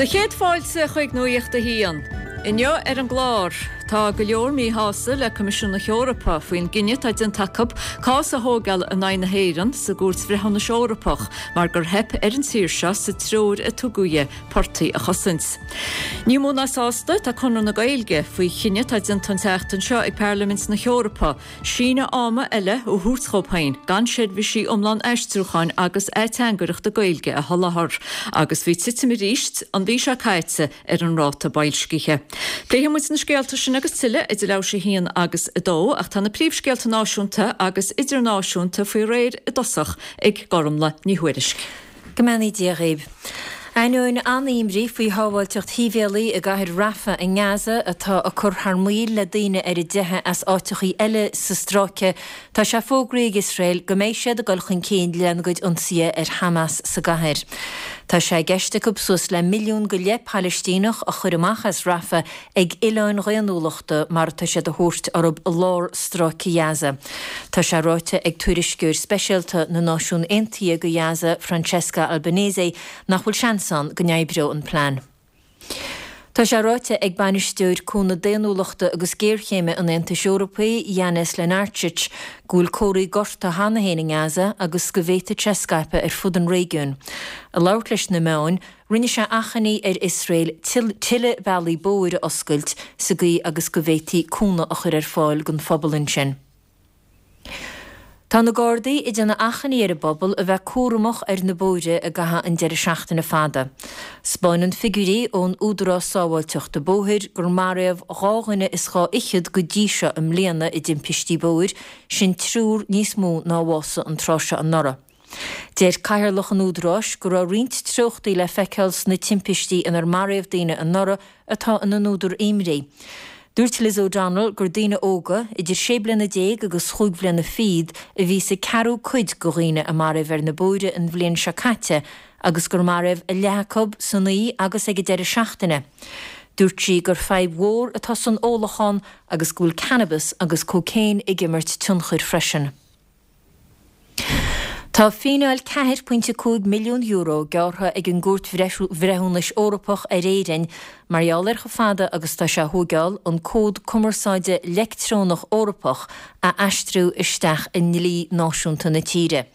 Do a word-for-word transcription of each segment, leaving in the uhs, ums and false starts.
Do chéad fáilte chuig Nuacht a hAon. Inniu ar an gclár tá go leor míshásta le Coimisiún na hEorpa faoin gcinneadh atá déanta acu cás a thógáil in aghaidh na hÉireann sa gCúirt Bhreithiúnais Eorpach mar gur theip ar an tír seo sa treoir a tugadh di portaigh a chosaint. Ní mó ná sásta tá Conradh na Gaeilge faoi chinneadh atá déanta an tseachtain seo ag Parlaimint na hEorpa, síneadh ama eile a thabhairt dóibh féin gan seirbhísí iomlán aistriúcháin agus ateangaireachta Gaeilge a sholáthar, agus bhí titim arís an mhí seo caite ar an ráta boilscithe. Pléifidh muid na scéalta sin agus tuilleadh idir leathuair tar éis a haon agus a dó ach tá na príomhscéalta náisiúnta agus idirnáisiúnta faoi réir i dtosach ag Gormlaith Ní Thuairisg. Go mbeannaí Dia dhaoibh. Ainneoin an-imní faoi shábháilteacht shibhialaigh i gcathair Rafah i nGaza atá ag cur thar maoil le daoine ar a dteitheadh as áiteachaí eile sa stráice, tá sé fógraithe ag Iosrael go mbeidh siad ag dul chun cinn lena gcuid ionsaithe ar Hamas sa gcathair. Tá sé i gceist acu suas le milliún go leith Palaistíneach a chur amach as Rafah ag oileáin dhaonnúlachta mar atá siad a thabhairt orthu i lár stráice Ghaza. Tá sé ráite ag tuairisceoir speisialta na Náisiún Aontaithe go Gaza, Francesca Albanese, nach bhfuil seans ann go n-oibreoidh an plean. Tá sé ráite ag bainisteoir cúnamh daonnúlachta agus géarchéime an Aontais Eorpaigh, Janez Lenarčič, go bhfuil comharthaí gorta cheana féin i nGaza agus go bhféadfadh sé scaipeadh ar fud an réigiúin. Ag labhairt leis na meáin, rinne sé achainí ar Iosrael tuilleadh bealaí bóthair a oscailt sa gcaoi agus go bhféadfaí cúnamh a chur ar fáil don phobal ansin. Tá na Gardaí ag déanamh achainí ar an bpobal a bheith cúramach ar na bóithre i gcaitheamh an deireadh seachtaine fada. 'Spáineann figiúirí ón Údarás Sábháilteachta Bóthair gur maraíodh dhá dhuine is dhá fhichead go dtí seo i mbliana i dtimpistí bóthair, sin triúr níos mó ná a bhásaigh an tráth seo anuraidh. Deir cathaoirleach an Údaráis go raibh roinnt treochtaí le feiceáil sna timpistí inar maraíodh daoine anuraidh atá ina n-údar imní. Dúirt Liz O'Donnell gur daoine óga, idir sé bliana déag agus chúig bhliana fichead, a bhí sa ceathrú cuid de dhaoine a maraíodh ar na bóithre an bhliain seo caite agus gur maraíodh a leath acu san oíche agus ag an deireadh seachtaine. Dúirt sí gur fadhb mhór atá san ólachán agus go bhfuil cannabas agus cócaon ag imirt tionchair freisin. Tá fíneáil ceathair pointe cúig milliún euro gearrtha ag an gCúirt Bhreithiúnais Eorpach ar Éirinn mar gheall ar chomh fada agus tá sé a thógáil an Cód Cumarsáide Leictreonach Eorpach a aistriú isteach i ndlí náisiúnta na tíre.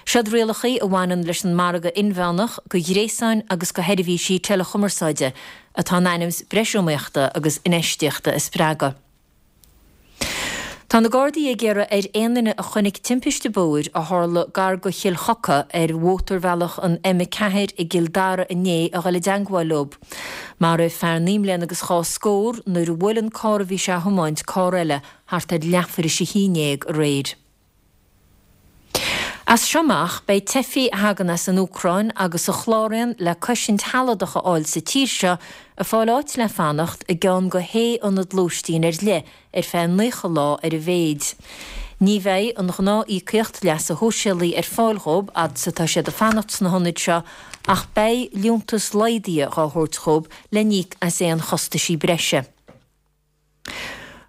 Seod rialacha a bhaineann leis an margadh inmheánach do ghréasáin agus do sheirbhísí teileachumarsáide atá in ainm is breis iomaíochta agus infheistíochta a spreagadh. Tá na Gardaí ag iarraidh ar aon duine a chonaic timpiste bóthair a tharla gar go Chill Choca ar mhótarbhealach an M ceathair i gCill Dara inné a dhul i dteagmháil leo. Maraíodh fear naoi mbliana agus dhá scór nuair a bhuail an carr a bhí sé a thiomáint carr eile thart ar leathuair tar éis a haon déag aréir. As seo amach beidh teifigh a thagann as an Úcráin agus a chláraíonn le cosaint shealadach a fháil sa tír seo ag fáil áit le fanacht i gceann de shé ionad lóistín ar leith ar feadh naocha lá ar a mhéid. Ní bheidh an ghnáth-íocaíocht leasa shóisialaigh ar fáil dhóibh fhad is atá siad ag fanacht sna hionaid seo ach beidh liúntas laghdaithe á thabhairt dhóibh le n-íoc as aon chostaisí breise.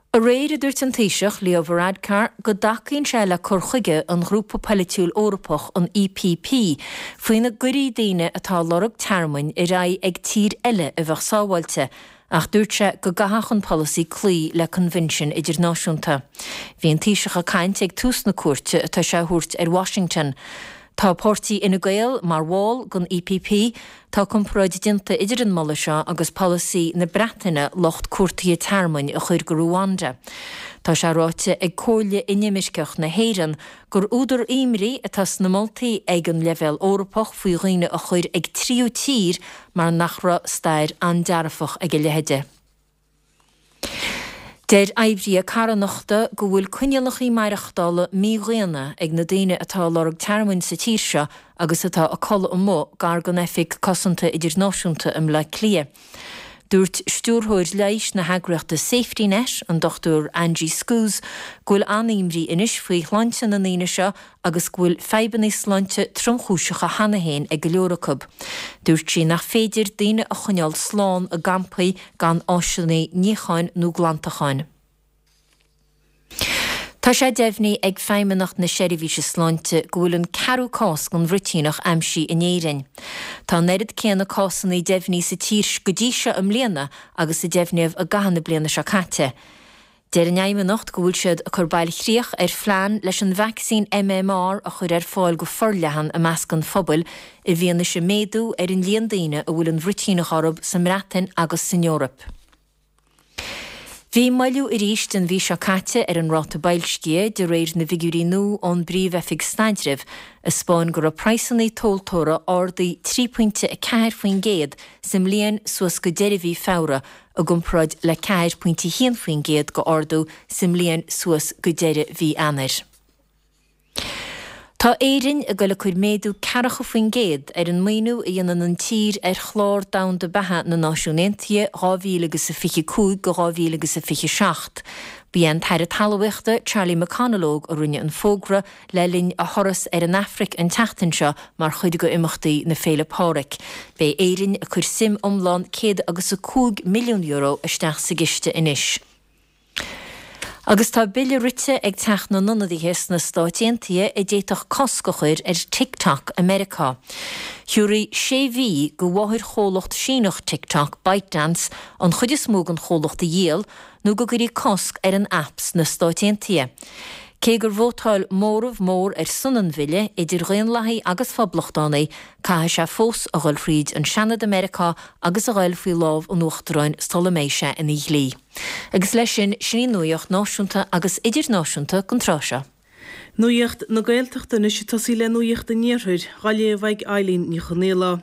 Aréir a dúirt an Taoiseach Leo Varadkar go dtacaíonn sé le cur chuige an ghrúpa polaitiúil Eorpach an E P P faoina gcuirfí daoine atá lorg tearmainn ar aghaidh ag tír eile a bheadh sábháilte, ach dúirt sé go gcaithfeadh an polasaí cloí le coinbhinsiún idirnáisiúnta. Bhí an Taoiseach ag caint ag tús na cuairte atá sé a thabhairt ar Washington. Tá páirtí Fhine Gael mar bhall den E P P. Tá comparáid déanta idir an moladh seo agus polasaí na Breataine lucht cuartaithe tearmainn a chur go Ruanda. Tá sé ráite ag Comhairle Inimirceach na hÉireann gur údar imní atá sna moltaí ag an leibhéal Eorpach faoi dhaoine a chur ag tríú tír mar nach raibh stair an-dearfach ag a leithéide. Deir oibrithe carthanachta go bhfuil coinníollacha maireachtála mídhaonna ag na daoine atá lorg tearmainn sa tír seo agus atá ag codladh amuigh gar don Oifig Cosanta Idirnáisiúnta i mBleá Cliath. Dúirt stiúrthóir leighis na heagraíochta Safety Net, an Dochtúir Angie Skuse, go bhfuil an-imní anois faoi shláinte na ndaoine seo agus go bhfuil fadhbanna sláinte tromchúiseacha cheana féin ag go leor acu. Dúirt sí nach féidir daoine a choinneáil slán i gcampaí gan áiseanna níocháin nó glantacháin. Tá sé deimhnithe ag Feidhmeannacht na Seirbhíse Sláinte go bhfuil an ceathrú cás den bhruitíneach aimsithe in Éirinn. Tá an oiread céanna cásanna deimhnithe sa tír go dtí seo i mbliana agus a deimhníodh i gcaitheamh na bliana seo caite. Deir an Fheidhmeannacht go bhfuil siad ag cur bailchríoch ar phlean leis an vacsaín MMR a chur ar fáil go forleathan i measc an phobail i bhfianaise méadú ar an líon daoine a bhfuil an bhruitíneach orthu sa mBreatain agus san Eoraip. Bhí moilliú arís an mhí seo caite ar an ráta boilscithe de réir na bhfigiúirí nua ón bPríomh-Oifig Staidrimh, a 'spáin go raibh praghsanna tomhaltóra ardaithe trí pointe a ceathair faoin gcéad sa mbliain suas go deireadh mhí Feabhra i gcomparáid le ceathair pointe haon faoin gcéad go ardú sa mbliain suas go deireadh mhí Eanáir. Tá Éirinn ag dul ag cur méadú ceathracha faoin gcéad ar an maoiniú a dhéanann an tír ar chlár domhanda beatha na Náisiún Aontaithe dhá mhíle agus a fiche cúig go dhá mhíle agus a fiche seacht. Ba é an tAire Talmhaíochta Charlie McConalogue a rinne an fógra le linn a thuras ar an Afraic an tseachtain seo mar chuid de imeachtaí na Féile Pádraig. Beidh Éirinn ag cur suim iomlán céad agus a cúig milliún euro isteach sa gciste anois. Agus tá bille rite ag Teach na nIonadaithe sna Stáit Aontaithe a d'fhéadfadh cosc a chur ar TikTok i Meiriceá. Thiúrfaí sé mhí go mháthairchomhlacht Síneach TikTok, ByteDance, an chuid is mó den chomhlacht a dhíol nó go gcuirfí cosc ar an aip sna Stáit Aontaithe. Cé gur vótáil móramh mór ar son an bhille idir Dhaonlathaigh agus Phoblachtánaigh, caithfidh sé fós a dhul thríd an Seanad i Meiriceá agus a dhul faoi lámh an Uachtaráin sula mbeidh sé ina dhlí. Agus leis sin, sin í nuaíocht náisiúnta agus idirnáisiúnta don tráth seo. Nuaíocht na Gaeltachta anois ag tosaí le Nuaíocht an Iarthair, á léamh ag Eileen Ní Chonaola.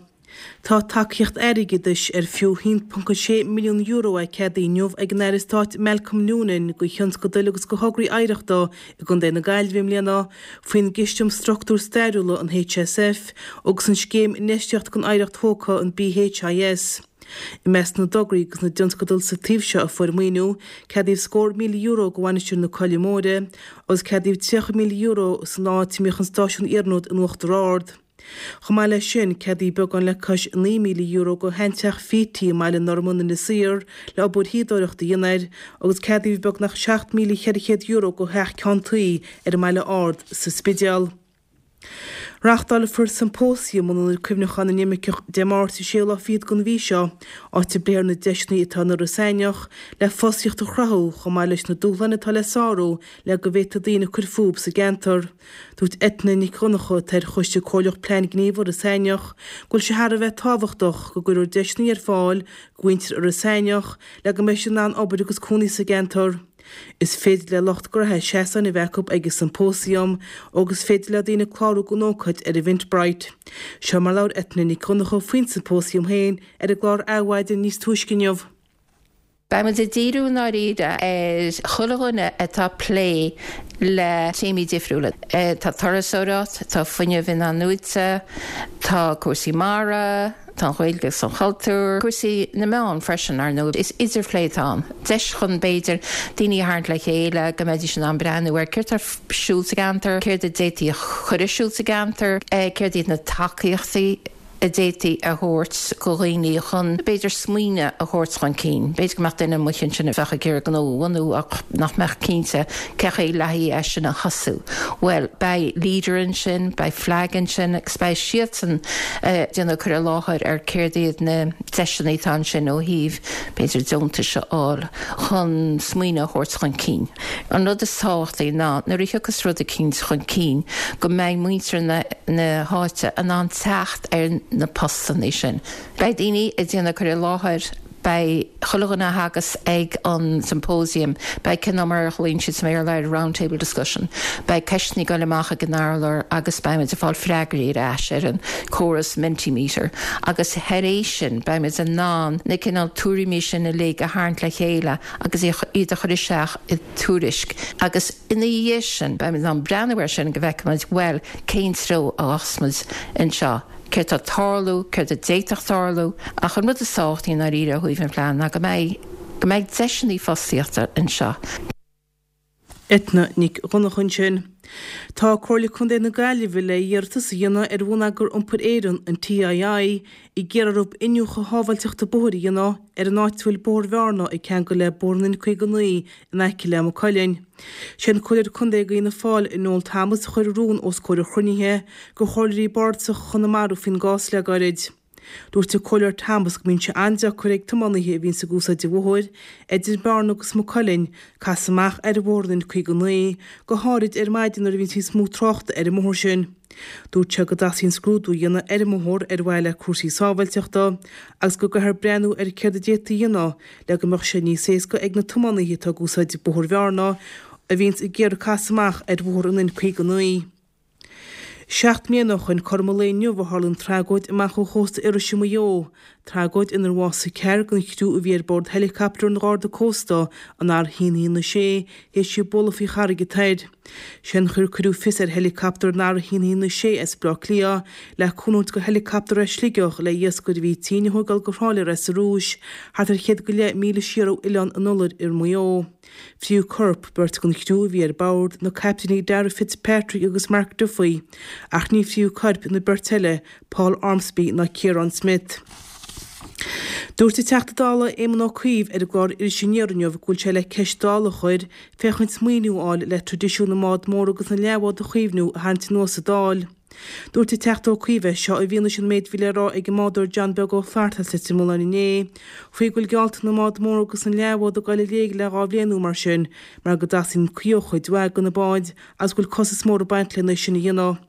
Tá tacaíocht airgeadais ar fiú haon ponc a sé milliún euro é ceadaithe inniu ag an Aire Stáit Malcolm Noonan do thionscadail agus do thograí oidhreachta i gContae na Gaillimhe i mbliana faoin gCiste um Struchtúir Stairiúla, an HSF, agus an Scéim Infheistíochta don Oidhreacht Thógtha, an BHIS. I measc na dtograí agus na dtionscadal sa taobh seo a fuair maoiniú, ceadaíodh scór míle euro do Mhainistir na Coille Móire agus ceadaíodh tríocha míle euro san áit a mbíodh an stáisiún iarnróid in Uachtar Ard. Chomh maith leis sin, ceadaíodh beagán le cois naoi míle euro do sheanteach Phítí i mBaile Norman, Inis Oírr, le obair thuíodóireachta a dhéanamh air, agus ceadaíodh beagnach seacht míle cheithre chéad euro do theach ceann tuí ar an mBaile Ard sa Spidéal. Reáchtálfar Siompósiam in Ionad Cuimhneacháin na nImirceach Dé Máirt an séú lá fichead den mhí seo, áit a bpléifear na deiseanna atá in Iorras Aithneach le fostaíocht a chruthú chomh maith leis na dúshláin atá le sárú le go bhféadfaidh daoine cur fúthu sa gceantar. Dúirt Eithne Nic Dhonncha, atá ar Choiste Comhairleach Plean Gníomh Iorras Aithneach, go bhfuil sé thar a bheith tábhachtach go gcuirfear deiseanna ar fáil do mhuintir Iorras Aithneach le go mbeidh siad in ann obair agus cónaí sa gceantar. Is féidir le lucht gnoithe seasáin a bheith acu ag an siompósiam agus is féidir le daoine clárú don ócáid ar Eventbrite. Seo mar labhair Eithne Nic Dhonncha faoin siompósiam féin ar an gclár Adhmhaidin níos túisce inniu. Beidh muid ag díriú i ndáiríre ar chuile dhuine atá ag plé le téamaí difriúla. Tá turasóireacht, tá fuinneamh in-athnuaite, tá cúrsaí mara, tá an Ghaeilge agus an cultúr, cúrsaí na meán freisin, ar ndóigh. Is idirphlé atá ann, deis chun, b'fhéidir, daoine a tharraingt le chéile, go mbeidís in ann breathnú ar céard atá ar siúl sa gceantar, céard a d'fhéadfaí a chur ar siúl sa gceantar, céard iad na tacaíochtaí a d'fhéadfaí a thabhairt go dhaoine chun, b'fhéidir, smaoineamh a thabhairt chun cinn. B'fhéidir go mbeadh duine amuigh ansin a bheadh ag iarraidh gnó a bhunú ach nach mbeadh cinnte cé chaoi le haghaidh é sin a thosú. Bhuel, beidh Leader ansin, beidh Flag ansin agus beidh siadsan ag déanamh cur i láthair ar céard iad na deiseanna atá ansin ó thaobh, b'fhéidir, deontais a fháil chun smaoineamh a thabhairt chun cinn. An rud is tábhachtaí ná nuair a thiocfas rud eicínt chun cinn go mbeidh muintir na háite in ann teacht ar na postanna sin. Beidh daoine ag déanamh cur i láthair, beidh chuile dhuine a thagas ag an symposium, beidh cineál mar a ghlaonn siad sa mBéarla air round table discussion, beidh ceisteanna ag dul amach ag an urlár agus beimid ag fáil freagraí ar ais ar an córas Mentimeter agus thar éis sin beimid in ann na cineál tuairimí sin uilig a tharraingt le chéile agus iad a chur isteach i dtuairisc agus ina dhiaidh sin beimid in ann breathnú air sin go bhfeicfimid bhuel cén treo a ghabhfas muid anseo, céard tá ag tarlú, céard a d'fhéadfadh tarlú ach an rud is tábhachtaí i ndáiríre ó thaobh an phlean ná go mbeidh go mbeidh deiseanna fostaíochta anseo. Eithne Nic Dhonncha ansin. Tá Comhairle Contae na Gaillimhe le iarratas a dhéanamh ar Bhonneagar Iompair Éireann, an TII, ag iarraidh orthu iniúchadh shábháilteachta bóthair a dhéanamh ar an áit a bhfuil Bóthar Bhearna ag ceangal le Bóthar an N caoga naoi in aice le Maigh Cuilinn. Sé an Comhairleoir Contae do Fhianna Fáil, Noel Thomas, a chuir an rún os comhair an chruinnithe de Chomhairleoirí Bardasacha Chonamara faoin gcás le gairid. Dúirt an Comhairleoir Thomas go mbíonn sé an-deacair ag tiománaithe a bhíonns ag úsáid an bhóthair idir Bearna agus Maigh Cuilinn casadh amach ar Bhóthar an N caoga naoi, go háirid ar maidin nuair a bhíonns níos mó tráchta ar an mbóthar sin. Dúirt sé go dteastaíonn scrúdú a dhéanamh ar an mbóthar ar mhaithe le cúrsaí sábháilteachta agus go gcaithfear breathnú ar céard a d'fhéadfaí a dhéanamh le go mbeadh sé níos éasca ag na tiománaithe atá ag úsáid Bóthar Bhearna a bhíonns ag iarraidh casadh amach ar Bhóthar an N caoga naoi. Seacht mbliana ó shoin cothrom an lae inniu a tharla an tragóid amach ó chósta Iorrais i Maigh Eo, tragóid inar bhásaigh ceathrar den chriú a bhí ar bord heileacaptar an Gharda Cósta, an R a haon a haon a sé, théis í bualadh faoi Charraig an Toir. Sé an chaoi ar cuireadh fios ar heileacaptar an R a haon a haon a sé as Baile Átha Cliath le cúnamh a thabhairt do heileacaptar as Sligeach le iascaire a bhí tinn a thógáil go Thrá Lí sa Rúis, thart ar chéad go leith míle siar ó Oileán an Iolair i Maigh Eo. Fríodh coirp beirt den chriú a bhí ar bord, na caiptíní Darragh Fitzpatrick agus Mark Duffy, ach ní fríodh coirp na beirt eile, Paul Ormsby ná Ciarán Smith. Dúirt an Teachta Dála Éamon Ó Cuív ar an gclár Iris Aniar inniu go bhfuil sé le ceist Dála a chur féachaint maoiniú a fháil le traidisiún na mbád mór agus na leathbhád a chaomhnú a tharraingt anuas sa Dáil. Dúirt an Teachta Ó Cuív é seo i bhfianaise an méid a bhí le rá ag an mbádóir John Beag Ó Flatharta as Leitir Mealláin inné faoi go bhfuil geallta na mbád mór agus na leathbhád ag dul i léig le dhá bhliain nó mar sin mar go dteastaíonn caoi ó chuid mhaith de na báid agus go bhfuil costas mór ag baint lena sin a dhéanamh.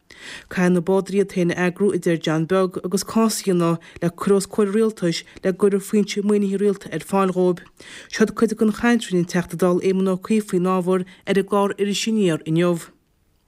Caithfidh na bádóirí iad féin a eagrú, a deir John Beag, agus cás a dhéanamh le cur os comhair an rialtais le go gcuirfear foinse maoinithe rialta ar fáil dhóibh. Seod cuid den chaint a rinne an Teachta Dála Éamon Ó Cuív faoin ábhar ar an gclár Iris Aniar inniu.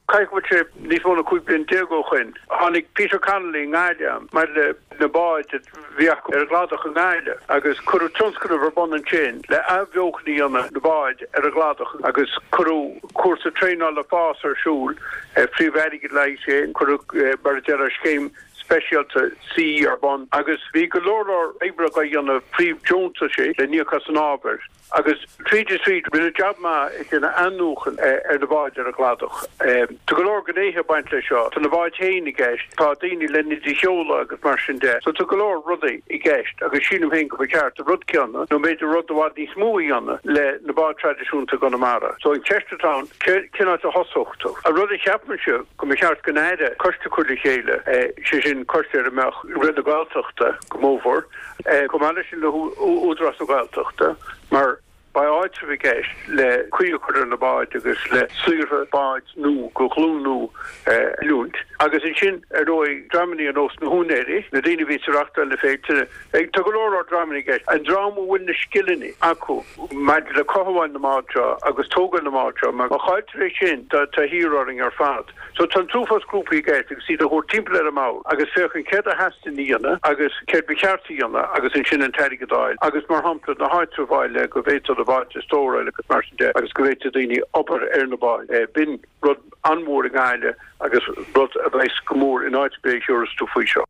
Caithfidh go bhfuil sé níos mó ná cúig bliana déag ó shoin. Tháinig Peter Connolly i nGaillimh maidir le na báid a bhí acu ar an gcladach i nGaillimh agus cuireadh tionscnamh ar bun ansin le athbheochan a dhéanamh na báid ar an gcladach agus cuireadh cúrsa traenála fás ar siúl, fríodh airgead le haghaidh sin, cuireadh mar a déarfá scéim speisialta C ar bun agus bhí go leor leor oibre á dhéanamh príomh-deontaisí le n-íoc as an ábhar. Agus tríd is tríd, rinneadh jab maith ag déanamh athnuachan ar na báid ar an gcladach. Tá go leor gnéithe ag baint leis seo. Tá na báid féin i gceist, tá daoine le iad a sheoladh agus mar sin de. So tá go leor rudaí i gceist agus sílim féin go mba cheart an rud céanna, nó b'fhéidir rud i bhfad níos mó a dhéanamh le na báid traidisiúnta i gConamara. So an cheist atá ann, cén áit a thosódh tú? An rud a cheapaimse go mba cheart don Aire coiste a chur le chéile, sé sin coiste ar a mbeadh Roinn na Gaeltachta go mórmhór, Chomh maith leis sin le hÚdarás na Gaeltachta, mar beidh áitreabh i gceist le caoi a chur ar na báid agus le saothraithe báid nua de ghlúin nua a oiliúint. Agus ansin, ar ndóigh, dreamanna ar nós na húinéirí, na daoine a bhíos ag reáchtáil na féilte, tá go leor leor dreamanna i gceist, an dream a bhfuil na scileanna acu maidir le cothabháil na mbád seo agus tógáil na mbád seo, mar má chailltear é sin, tá thiar orainn ar fad. So tá an t-uafás grúpaí i gceist agus iad a thabhairt timpeall ar an mbord agus féachaint céard a theastaíonn a dhéanamh agus céard ba cheart a dhéanamh agus ansin an t-airgead a fháil agus mar shampla na háitribh a fháil le go bhféadfá na báid a stóráil agus mar sin de agus go bhféadfadh daoine obair ar na báid. B'in rud an-mhór i nGaillimh agus rud a bheas go mór in áit ar bith a thiúrfas tú faoi seo.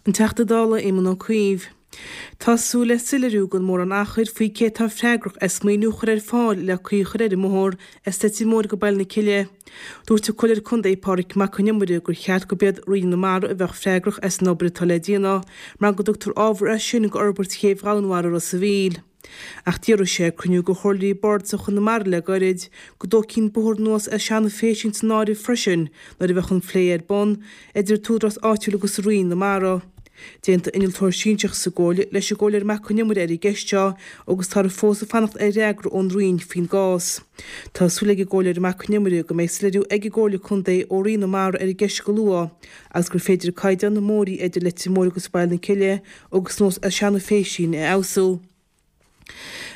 An Teachta Dála Éamon Ó Cuív. Tá súil le soiléiriú gan mórán achair faoi cé atá freagrach as maoiniú a chur ar fáil le caoi a chur ar an mbóthar as Leitir Móir go Baile na Cille. Dúirt an Comhairleoir Contae Pádraig Mac Con Iomaire gur cheart gurb iad Roinn na Mara a bheadh freagrach as an obair atá le déanamh mar go dtugtar ábhar as sin go fhorbairt chéibh Dhomhanmhara Ros a' Mhíl. Ach d'fhiafraigh sé ag cruinniú de chomhairleoirí bardasacha Chonamara le gairid go dtógfaí an bóthar anuas as Seanadh Phéisín san áireamh freisin nuair a bheadh an plé ar bun idir an t-údarás áitiúil agus Roinn na Mara. D'aontaigh innealtóir sinsearach sa gcomhairle leis an gComhairleoir Mac Con Iomaire ar an gceist seo agus táthar fós ag fanacht ar fhreagra ón Roinn faoin gcás. Tá súil ag an gComhairleoir Mac Con Iomaire go mbeidh soiléiriú ag an gComhairle Contae ó Roinn na Mara ar an gceist go luath agus gur féidir caighdeán na mbóithrí idir Leitir Móir agus Baile na Cille agus anuas as Seanadh Phéisín a fheabhsú.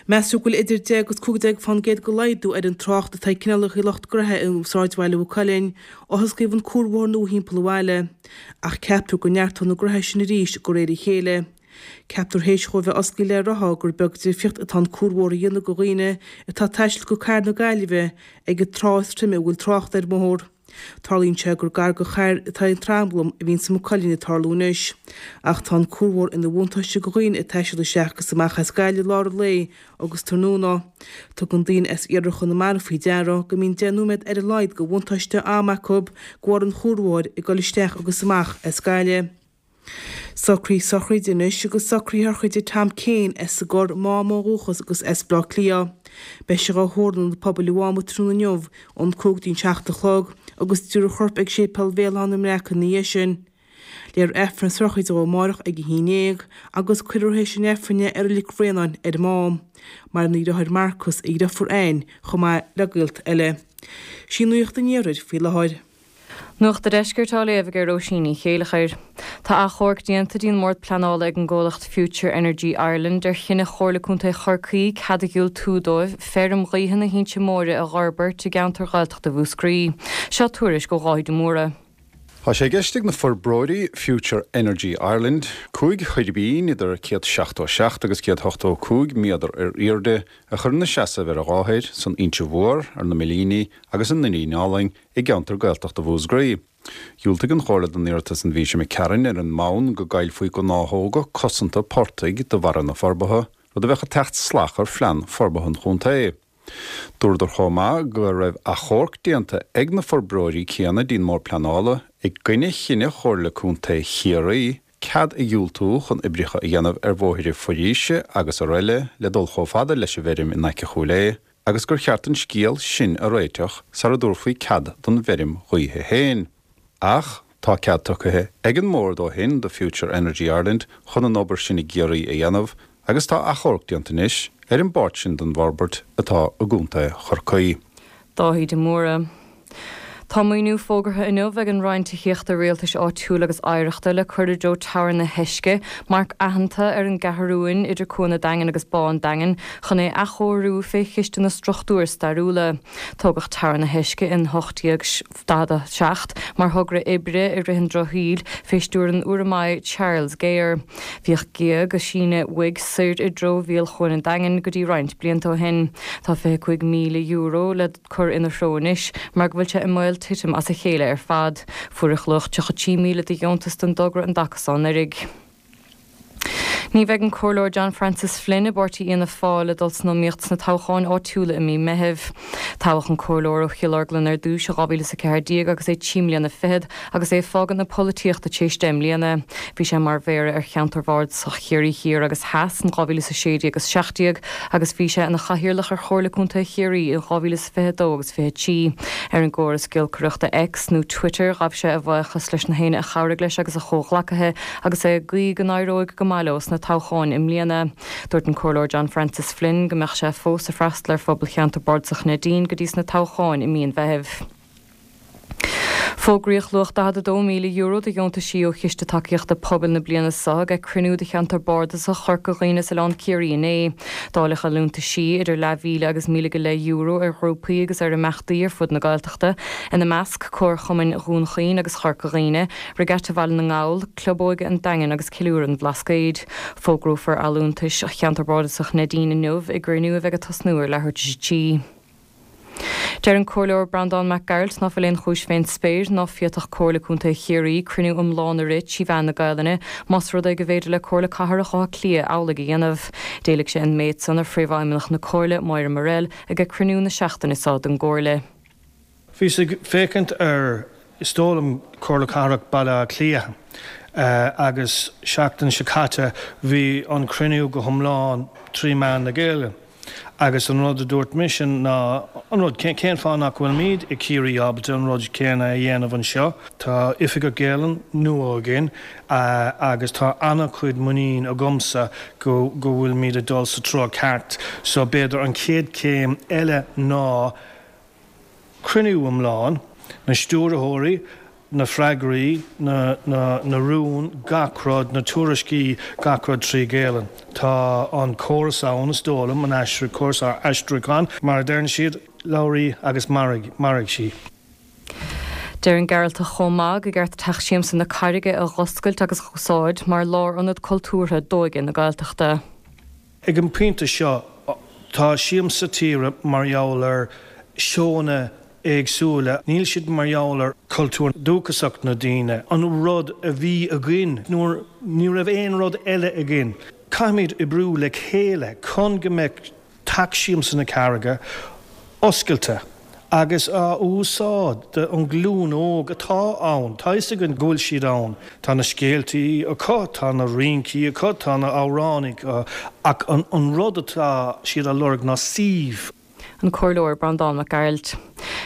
Meastar go bhfuil idir deich agus cúig déag fán gcéad de laghdú ar an trácht atá ag cineálacha lucht gnoithe i sráidbhaile Mhaigh Cuilinn ó hosclaíodh an cuarbhóthar nua thimpeall an bhaile, ach ceaptar go neartóidh na gnoithe sin arís de réir a chéile. Ceaptar théis dhó bheith osclaithe le ráithe gur beag difríocht atá an cuarbhóthar a dhéanamh do dhaoine atá ag taisteal go cathair na Gaillimhe ag an tráth is troime a bhfuil trácht ar an mbóthar. Tarlaíonn sé gur gar do charr atá an tranglam a bhíonn sa Maigh Cuilinn ag tarlú anois. Ach tá an cuarbhóthar ina bhuntáiste do dhaoine ag taisteal isteach agus amach as Gaillimh i lár an lae agus tráthnóna. Tugann daoine as iarthar Chonamara faoi deara go mbíonn deich nóiméad ar a laghad de bhuntáiste ama acu de bharr an chuarbhóthair ag dul isteach agus amach as Gaillimh. Socruithe sochraide anois agus socruithe sochraide Tom Kane as an gCorr Mám ó dhúchas agus as Baile Átha Cliath. Beidh sé dhá thórramh ionad pobail an Mháma tráthnóna inniu ón cúig dtí'n seacht a chlog agus tabharfar a chorp ag séipéal Bhéal Átha na mBreac ina dhiaidh sin. Léifear Aifreann sochraide dhó amárach ag a haon déag agus cuirfear théis an Aifrinn é i Reilig Bhréanainn ar an Mám. Maireann a dheartháir Marcus, a dheirfiúr Anne, chomh maith le gaolta eile. Sí Nuacht an Iarthair faoi láthair. Nuacht an Deiscirt á léamh ag Róisín Ní Chéileachair. Tá achomharc déanta dtí'n mBord Pleanála ag an gcomhlacht Future Energy Ireland ar chinneadh Chomhairle Contae Chorcaí cead a dhiúltú dóibh feirm ghaoithe na hInse Móire a dh'fhorbairt i gceantar Ghaeltachta Mhúscraí. Seo tuairisc ó Dháithí de Mórdha. Tá sé i gceist ag na forbróirí Future Energy Ireland cúig thuirbín idir céad seachtó seacht agus céad ochtó cúig méadar ar airde a chur ina seasamh ar an dhá thoir, san Inse Mhór, ar na Millíní agus i nDoirín Álainn i gceantar Gaeltachta Mhúscraí. Dhiúltaigh an Chomhairle don iarratas an mhí seo imigh tharainn ar an mbonn go gcaillfí gnáthóga cosanta portaigh de bharra na forbartha, rud a bheadh ag teacht salach ar phlean forbartha an chontae. Dúradar chomh maith go raibh achomharc déanta ag na forbróirí céanna dtí'n mBord Pleanála i gcoinne chinneadh Chomhairle Contae Chiarraí cead a dhiúltú chun oibreacha a dhéanamh ar bhóithre foraoise agus araile le dul chomh fada leis an bhfeirm in aice Chúil Aodha agus gur cheart an scéal sin a réiteach sara dtabharfaí cead don bhfeirm ghaoithe féin. Ach tá cead tugtha ag an mBord ó shin do Future Energy Ireland chun an obair sin i gCiarraí a dhéanamh agus tá achomharc déanta anois ar an bpáirt sin den bhforbairt atá i gContae Chorcaí. Dáithí de Mórdha. Tá maoiniú fógartha inniu ag an Roinn Tithíochta Rialtais Áitiúil agus Oidhreachta le cur i dtreo Teamhair na hEisce, marc aitheanta ar an gCeathrúin idir Cuan an Daingin agus Bá an Daingin, chun é a athchóiriú fé Chiste na Struchtúr Stairiúla. Tógadh Teamhair na hEisce in ocht déag daichead a seacht mar thogra oibre i rith an drochshaoil fé stiúir an Urramaigh Charles Gayer. Bhíodh géag ag síneadh uaidh soir i dtreo mhíol Chuan an Daingin go dtí roinnt blianta ó shin. Tá fiche cúig míle euro le cur ina threo anois mar go bhfuil sé i mbaol titim as a chéile ar fad. Fuaireadh luach tríocha trí míle de dheontas don dtogra an dtaca seo anuraidh. Ní bheidh an Comhairleoir John Francis Flynn i bpáirtí Fhianna Fáil ag dul san iomaíocht sna toghcháin áitiúla i mí Meithimh. Toghadh an Comhairleoir ó Chill Orglan ar dtús i dhá mhíle is a ceathair déag agus é trí mbliana fichead agus é ag fágaint na polaitíochta tar éis deich mbliana. Bhí sé mar Mhéara ar cheantar Bhardasach Chiarraí Thiar agus Theas in dhá mhíle is a sé déag agus seacht déag agus bhí sé ina chathaoirleach ar Chomhairle Contae Chiarraí in dhá mhíle is fiche a dó agus fiche trí. Ar an gcóras giolcaireachta X nó Twitter ghabh sé a bhuíochas leis na héinne a chabhraigh leis agus a chomhghleacaithe agus é ag guí go n-éireoidh go maith leo sna toghcháin i mbliana. Dúirt an Comhairleoir John Francis Flynn go mbeadh sé fós ag freastal ar phobal cheantar Bardasach Neidín go dtí sna toghcháin i mí an Mheithimh. Fógraíodh luach daichead a dó míle euro de dheontaisí ó Chiste Tacaíochta Pobail na bliana seo ag cruinniú de cheantar Bardasach Chorca Dhuibhne is Oileán Ciarraí inné. Dáileadh liúntaisí idir leathmhíle agus míle go leith euro ar ghrúpaí agus ar imeachtaí ar fud na Gaeltachta, ina measc Comharchumainn Dhún Chaoin agus Chorca Dhuibhne, Regatta Bhaile na nGall, Club Óige an Daingin agus Ceiliúradh an Bhlascaoid. Fógrófar allúntais cheantar Bardasach Neidín inniu i gcruinniú a bheidh ag tosnú ar leathuair tar éis a trí. Deir an Comhairleoir Breandán Mac Gearailt ná fuil aon chúis fén spéir ná féadfadh Comhairle Contae Chiarraí cruinniú iomlán a rith trí mheán na Gaelainne más rud é go bhféidir le Comhairle Cathrach Átha Cliath amhlaidh a dhéanamh. D'éiligh sé an méid san ar Phríomhfheidhmeannach na Comhairle, Máire Morrell, ag cruinniú na seachtaine seo den gComhairle. Bhíos ag féachaint ar, is dóigh liom, Comhairle Cathrach Baile Átha Cliath agus seachtain seo caite bhí an cruinniú go hiomlán trí mheán na Gaeilge. Agus an rud a dúirt mise ná an rud, cén fáth nach bhfuilimid i Ciarraí ábalta an rud céanna a dhéanamh anseo? Tá Oifigeach Gaelainne nua againn agus tá an-chuid muinín agamsa go go bhfuilimid ag dul sa treo ceart. So b'fhéidir an chéad chéim eile ná cruinniú iomlán, na stiúrthóirí, na freagraí, na, na, na rúin, gach rud, na tuairiscí, gach rud trí Ghaelainn. Tá an córas ann, is dóigh liom, an aistriú, córas aistriúcháin, mar a deireann siad, labhair í agus mairfidh, mairfidh sí. Deir an Gearaltach chomh maith go gceart Teach Siamsa na Carraige a dh'oscailt agus a dh'úsáid mar lárionad cultúrtha d'óige na Gaeltachta. Ag an bpointe seo, tá Siamsa Tíre mar gheall ar seónna éagsúla, níl siad mar gheall ar cultúr dúchasach na daoine, an rud a bhí againn nuair ní raibh aon rud eile againn. Caithfimid oibriú le chéile chun go mbeidh Teach Siamsa na Carraige oscailte agus á úsáid don ghlúin óg atá ann. Tá fhios againn go bhfuil siad ann. Tá na scéaltaí acu, tá na rincí acu, tá na hamhráin acu, ach an rud atá siad á lorg ná suíomh. An Comhairleoir Breandán Mac Gearailt.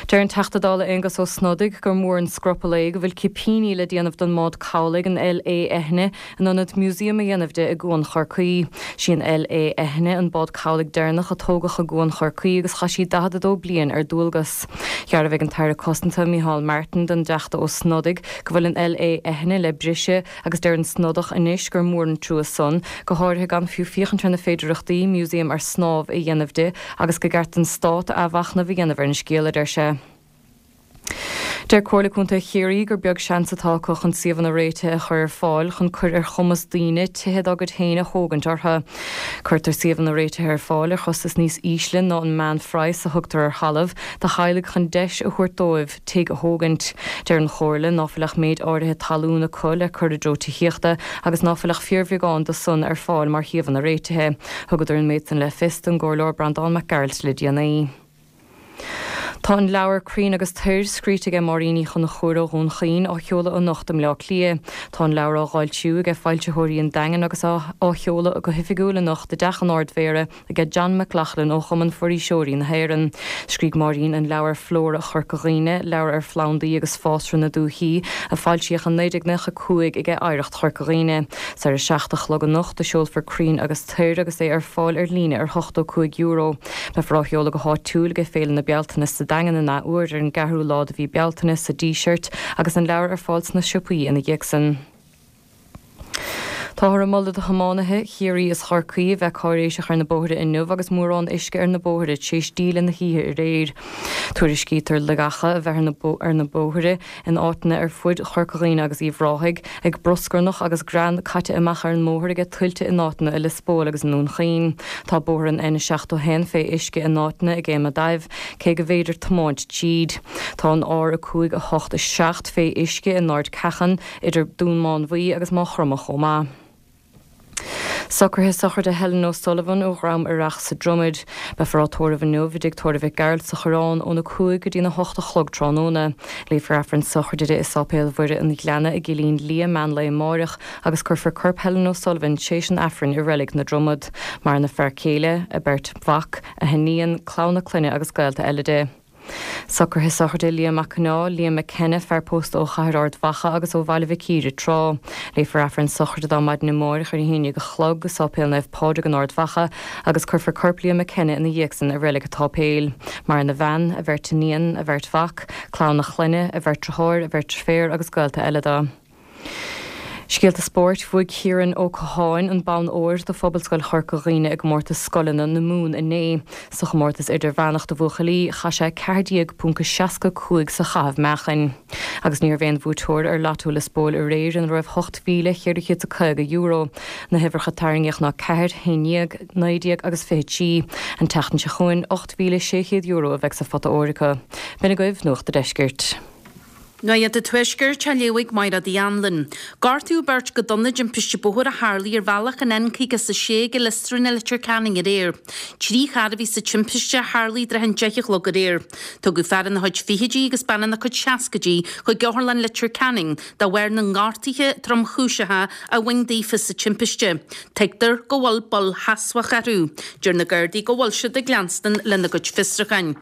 Deir an Teachta Dála Aengus Ó Snodaigh gur mór an scrupall é go bhfuil cipíní le déanamh den mbád cabhlaigh an LÉ Eithne in ionad museum a dhéanamh de i gCuan Chorcaí. Sí an LÉ Eithne an bád cabhlaigh deireanach a tógadh i gCuan Chorcaí agus chaith sí daichead a dó bliain ar dualgas. Dhearbhaigh an tAire Cosanta Micheál Martin don dTeachta Ó Snodaigh go bhfuil an LÉ Eithne le briseadh agus deir an Snodach anois gur mór an trua san, go háirithe gan fiú féachaint ar na féidearthachtaí museum ar snámh a dhéanamh di agus gur cheart don Stát athmhachnamh a dhéanamh ar an scéal, a deir sé. Deir Comhairle Contae Chiarraí gur beag seans atá acu chun suíomhanna réitithe a chur ar fáil chun cur ar chumas daoine tithe dá gcuid féin a thógaint orthu. Cuirtear suíomhanna réitithe ar fáil ar chostas níos ísle ná an meánphraghas a thugtar ar thalamh do theaghlaigh chun deis a thabhairt dóibh tigh a thógaint. Deir an Chomhairle ná fuil ach méid áirithe talún acu le cur i dtreo tithíochta agus ná fuil ach fíorbheagán de san ar fáil mar shuíomhanna réitithe. Thugadar an méid san le fios don gComhairleoir Breandán Mac Gearailt le déanaí. Tá an leabhar Crainn agus Toir, scríte aige Máirín Uí Chonchúir ó Dhún Chaoin, á sheoladh anocht i mBleá Cliath. Tá an leabhar á dh'fhoilsiú aige Foilsitheoirí an Daingin agus á sheoladh go hoifigiúil anocht i dTeach an Ard-Mhéara aige John McLaughlin ó Chumann Foraoiseoirí na hÉireann. Scrígh Máirín an leabhar Flóra Chorca Dhuibhne, leabhar ar phlandaí agus fásra na dúichí, a foilsíodh in naoi déag nócha a cúig aige Oidhreacht Chorca Dhuibhne. 'S ar a seacht a chlog anocht a seolfar Crainn agus Toir agus é ar fáil ar líne ar hochtó cúig euro. Beifear á sheoladh go háitiúil aige Féile na Bealtaine sa Daingean an athuair ar an gceathrú lá de mhí Bealtaine sa Díseart agus an leabhar ar fáil sna siopaí ina dhiaidh san. Táthar ag moladh do thiománaithe Chiarraí is Chorcaí a bheith cáiréiseach ar na bóithre inniu agus mórán uisce ar na bóithre tar éis díle na hoíche aréir. Tuairiscítear logacha a bheith ar na bóithre in áiteanna ar fud Chorca Dhuibhne agus Uíbh Ráthaigh, ag bruscarnach agus grean caite amach ar an mbóthar aige tuilte in áiteanna i Lios Póil agus i nDún Chaoin. Tá bóthar an N seachtó a haon fé uisce in áiteanna i gCéim a' Daimh, cé go bhféidir tiomáint tríd. Tá an R a cúig a hocht a seacht fé uisce in Ard Ceachan, idir Dún Mánmhaí agus Maigh Chromtha chomh maith. Socruithe sochraide Helen O'Sullivan ó Dhrom Oireach sa Dromad. Beifear á tórramh inniu i dtigh tórraimh Mhic Gearailt sa Choireán óna cúig go dtína hocht a chlog tráthnóna. Léifear Aifreann sochraide di i Sáipéal Mhuire an Ghleanna i gCillín Liath meán lae amáireach agus cuirfear corp Helen O'Sullivan tréis an Aifrinn i Reilig na Dromad. Maireann a fear céile, a beirt mhac, a hiníon, clann a clainne agus gaolta eile di. Socruithe sochraide Liam Mac Conaill, Liam McKenna, fear pósta ó Chathair Ard Mhacha agus ó Bhaile Mhic Íre tráth. Léifear Aifreann sochraide dó maidin amáireach ar a haon déag a chlog i Sáipéal Naomh Pádraig in Ard Mhacha agus cuirfear corp Liam McKenna ina dhiaidh san i Reilig an tSáipéil. Maireann a bhean, a bheirt iníon, a bheirt mhac, clann a chlainne, a bheirt deartháir, a bheirt deirféar agus gaolta eile dó. Scéalta Spóirt, Bhuaigh Ciarán Ó Catháin an bonn óir do Phobalscoil Chorca Dhuibhne i gcomórtas scoileanna na Mumhan inné. Sa chomórtas idirmheánach do bhuachaillí, chaith sé ceathair déag ponc seasca cúig sa chaitheamh meáchain. Agus ní raibh aon bhuaiteoir ar Lotto Lios Póil aréir ina raibh ocht mhíle cheithre chéad is a caoga euro. Na huimhreacha a tarraingíodh ná ceathair, haon déag, naoi déag agus fiche trí. An tseachtain seo chugainn, ocht mhíle sé chéad euro a bheidh sa phota óir acu. B'in agaibh Nuacht a' Deiscirt. Nuacht an Tuaiscirt á léamh ag Mairéad Uí Anluain. Gortaíodh beirt go dona i dtimpiste bóthair a tharlaigh ar bhealach an N caoga is a sé ag Lios Rúin i Leitir Ceanainn aréir. Trí charr a bhí sa timpiste a tharlaigh i dtrátha an deich a chlog aréir. Tugadh fear ina chuid fichidí agus bean ina cuid seascaidí chuig Otharlann Leitir Ceanainn de bharr na ngortuithe tromchúiseacha a bhain daofa sa timpiste. Tuigtear go bhfuil bail sheasmhach orthu. Deir na Gardaí go bhfuil siad ag leanstan lena gcuid fiosrúcháin.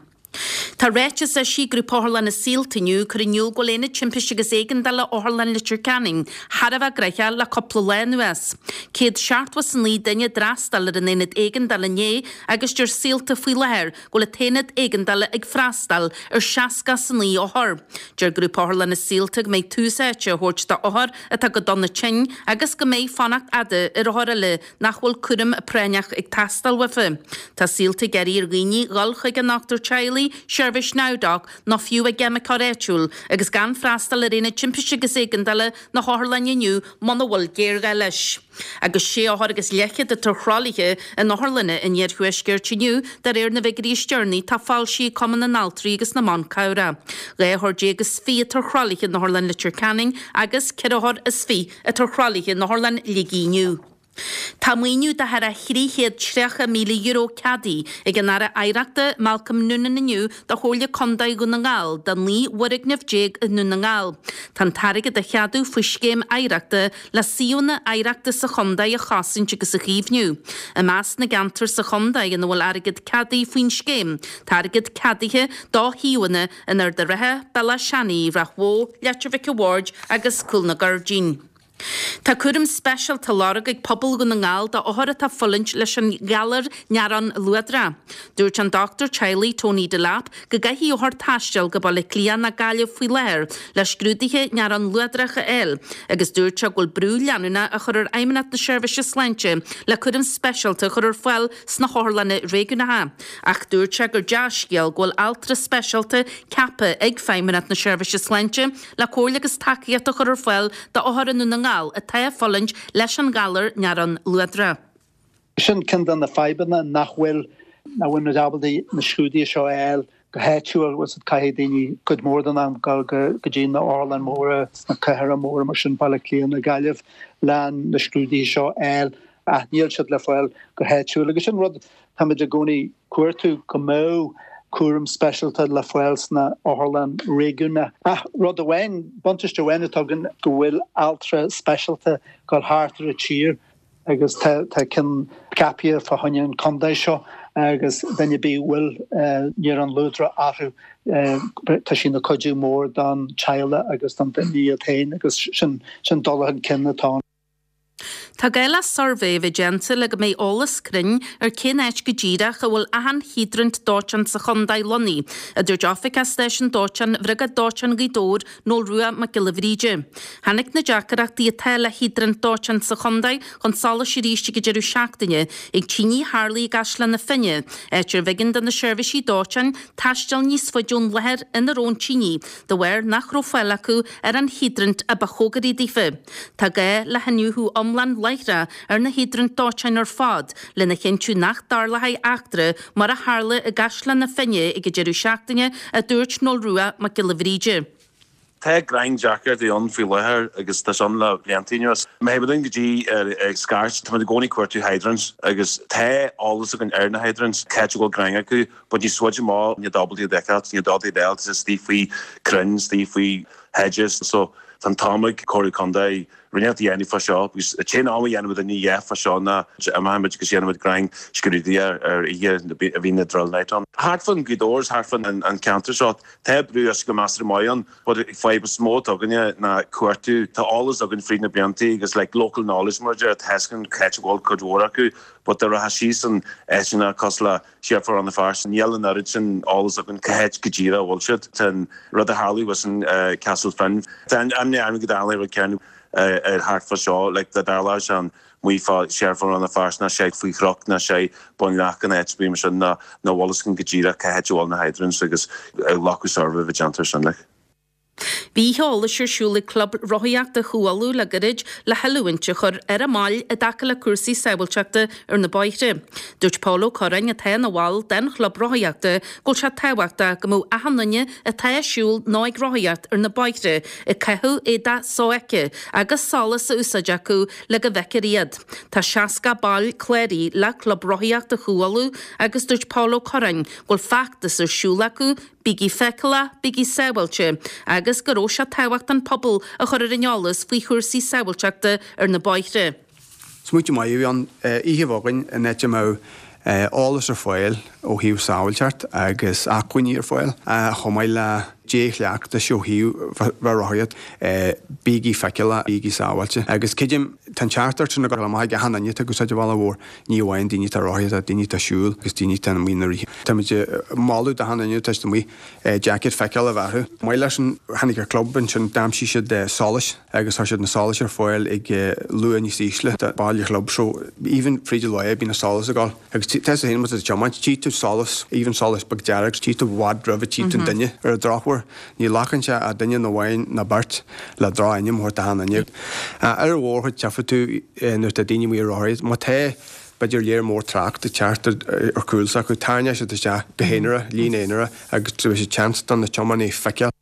Tá ráiteas eisithe ag Grúpa Otharlanna Saolta inniu ag cur in iúl go bhfuil Aonad Timpiste agus Éigeandála Otharlann Leitir Ceanainn thar a bheith gnoitheach le cúpla lá anuas. Céad seachtó is a naoi duine a d'fhreastail ar an Aonad Éigeandála inné agus deir Saolta faoi láthair go bhfuil an tAonad Éigeandála ag freastal ar seasca is a naoi othar. Deir Grúpa Otharlanna Saolta go mbeidh tús áite á thabhairt do othair atá go dona tinn agus go mbeidh fanacht fhada ar othair eile nach bhfuil cúram práinneach ag teastáil uafa. Tá Saolta ag iarraidh ar dhaoine dhul chuig a ndochtúir teaghlaigh Teaghlaigh, Seirbhís NowDoc nó fiú a gceimiceoir áitiúil agus gan freastal ar aonad timpiste agus éigeandála na hotharlainne inniu muna bhfuil géarghá leis. Agus sé othar agus leathchéad atá ar thralaithe in otharlanna an iarthuaiscirt inniu de réir na bhfigiúirí is deireanaí atá foilsithe ag Cumann na nAltraí agus na mBan Cabhrach. Dhá othar déag is fiche atá ar thralaithe in Otharlann Leitir Ceanainn agus ceithre othar is fiche atá ar thralaithe in Otharlann Shligigh inniu. Tá maoiniú de thar a thrí chéad tríocha míle euro ceadaithe ag an Aire Oidhreachta Malcolm Noonan inniu do Chomhairle Contae Dhún na nGall do naoi bhfoirgneamh déag i nDún na nGall. Tá an t-airgead á cheadú faoi scéim oidhreachta le suíomhanna oidhreachta sa chontae a chosaint agus a chaomhnú. I measc na gceantar sa chontae ina bhfuil airgead ceadaithe faoin scéim, tá airgead ceadaithe do shuíomhanna in Ard an Rátha, Bealach Seanaidh, Ráth Bhoth, Leitir Mhic an Bhaird agus Cúl na Gairdín. Tá cúram speisialta á lorg ag pobal Dhún na nGall do othair atá ag fulaingt leis an ghalar néarón luadrach. Dúirt an dochtúir teaghlaigh Tony Delap go gcaithfidh othair taisteal go Baile Átha Cliath nó Gaillimh faoi láthair le scrúduithe néarón luadrach a fháil agus dúirt sé go bhfuil brú leanúnach á chur ar Fheidhmeannacht na Seirbhíse Sláinte le cúram speisialta a chur ar fáil sna hotharlanna réigiúnacha. Ach dúirt sé gur dea-scéal go bhfuil altra speisialta ceaptha ag Feidhmeannacht na Seirbhíse Sláinte le comhairle agus tacaíocht a chur ar fáil d'othair i nDún na nGall atá ag fulaingt leis an ghalar néarón luadrach. Sin ceann de na fadhbanna nach bhfuil nach bhfuil muid ábalta na scrúduithe seo a fháil go háitiúil agus caithfidh daoine cuid mhór den am dul go dtí na otharlanna móra sna cathracha móra mar sin Baile Átha Cliath nó Gaillimh le na scrúduithe seo a fháil ach níl siad le fáil go háitiúil agus sin rud táimid i gcónaí ag cuartú go mbeadh cúram speisialta le fáil sna otharlanna réigiúnacha. Ach rud amháin, buntáiste amháin atá againn go bhfuil altra speisialta ag dul thart ar an tír agus tá tá ceann ceaptha fá choinne an chontae seo agus duine ar bith a bhfuil néarón luadrach orthu tá sí ina cuidiú mór don teaghlach agus don duine iad féin agus sin sin dul chun cinn atá ann. Tá gá le suirbhé a bheith déanta le go mbeidh eolas cruinn ar cén áit go díreach a bhfuil achan hiodrant dóiteáin sa chontae lonnaithe, a dúirt Oifigeach Stáisiún Dóiteáin Bhriogáid Dóiteáin Ghaoth Dobhair, Noel Rua Mac Giolla Bhríde. Tháinig na deacrachtaí atá le hiodrant dóiteáin sa chontae chun solais arís ag an deireadh seachtaine ag tine a tharla i gCaisleán na Finne, áit arbh éigean do na seirbhísí dóiteáin taisteal níos faide ón láthair ina raibh an tine, de bharr nach raibh fáil acu ar an hiodrant a ba chóngaraí daofa. Tá gá le hiniúchadh iomlán láithreach ar na hiodraint dóiteáin ar fad lena chinntiú nach dtarlóidh eachtra mar a tharla i gCaisleán na Finne ag an deireadh seachtaine, a dúirt Noel Rua Mac Giolla Bhríde. Tá greim deacrachtaí ann faoi láthair agus tá sin le blianta anuas. Má théann muid go dtí ag scairt, tá muid i gcónaí ag cuartú hydrants agus tá eolas againn ar na hydrants, cá háit a bhfuil greim acu, but níos faide amach níl ábalta iad a fheiceáil, níl ábalta iad a fháil, tá siad istigh faoi crainn, istigh faoi hedges, so tá an t-am ag Comhairle Contae rud inteacht a dhéanamh fá seo agus an t-aon am a dhéanann muid a dhath fá seo ná imímid agus dhéanann muid greim scrúdaithe ar oíche a bhíonn na drill night ann. Thart fán Ghaoth Dobhair, thart fán an ceantar seo, tá brú uisce go measartha maith ann, but fadhb is mó atá againne ná cuartú. Tá eolas againn fríd na blianta agus like local knowledge mar a deir, tá fhios againn cá háit a bhfuil cuid mhór acu, but dá rachfá síos in áiteanna cosúil le siar fá Rann na Feirste, níl an oiread sin eolas againn cá háit go díreach a bhfuil siad. Tá an rud a tharla thuas in Castle Finn, tá an imní orm go dtarlóidh an rud céanna ar thart fá seo, like dá dtarlódh sé amuigh fá siar fá Rann na Feirste ná sé faoi chnoc ná sé Bun Leac an áit a bhí sin ná ná bhfuil fhios againn go díreach cá háit a bhfuil na hydrants agus glacadh suirbhé a bheith déanta ar sin like. Bhí oíche eolais ar siúl ag Club Rothaíochta Chú Uladh le gairid le hoiliúint a chur ar a mbaill i dtaca le cúrsaí sábháilteachta ar na bóithre. Dúirt Paul Ó Curráin atá ina bhall den chlub rothaíochta go bhfuil sé tábhachtach go mbeadh achan duine atá ag siúl nó ag rothaíocht ar na bóithre ag caitheamh éadach sofheicthe agus solas a úsáid acu le go bhfeicfear iad. Tá seasca ball cláraithe le Club Rothaíochta Chú Uladh agus dúirt Paul Ó Curráin go bhfuil feachtas ar siúl acu Bígí feiceálach, bígí sábháilte, agus go raibh sé tábhachtach an pobal a chur ar an eolas faoi chúrsaí sábháilteachta ar na bóithre. Smaoineamh maith a bhí ann oíche a bheith againn in áit a mbeadh eolas ar fáil ó thaobh sábháilteacht agus acmhainní ar fáil, chomh maith le dea-chleachtais ó thaobh bheith rothaíocht, bígí feiceálach, bígí sábháilte. Agus creidim Tá an ceart sin ag dul amach ag achan duine atá ag úsáid an bhealaigh mhóir, ní amháin daoine atá ar rothaí, tá daoine atá ag siúl agus daoine atá amuigh ina rith. Táimid ag moladh d'achan duine atá amuigh jacket feiceáil a bheith orthu. Maith leis an tháinig ar club ansin d'aimsigh siad solais agus tá siad na solais ar fáil ag luath níos ísle de baile chlub so even fríd an lá bíonn na solas ag dul agus tá a fhios agat féin má tá tú ag tiomáint tchí tú solas even solas beag dearg tchí tú i bhfad roimh a tchí tú an duine ar an drochuair ní ghlacann sé ach duine nó amháin nó beirt le droch-ainm a thabhairt d'achan duine. Ar an mhórchuid tchífidh tú nuair atá daoine amuigh ar rothaí má tá b'fhéidir léar mór trácht ag teacht ar chúl s'acu tarraingeoidh siad isteach go haonarach, líne aonarach agus tabharfaidh siad seans do na tiománaithe feiceáil.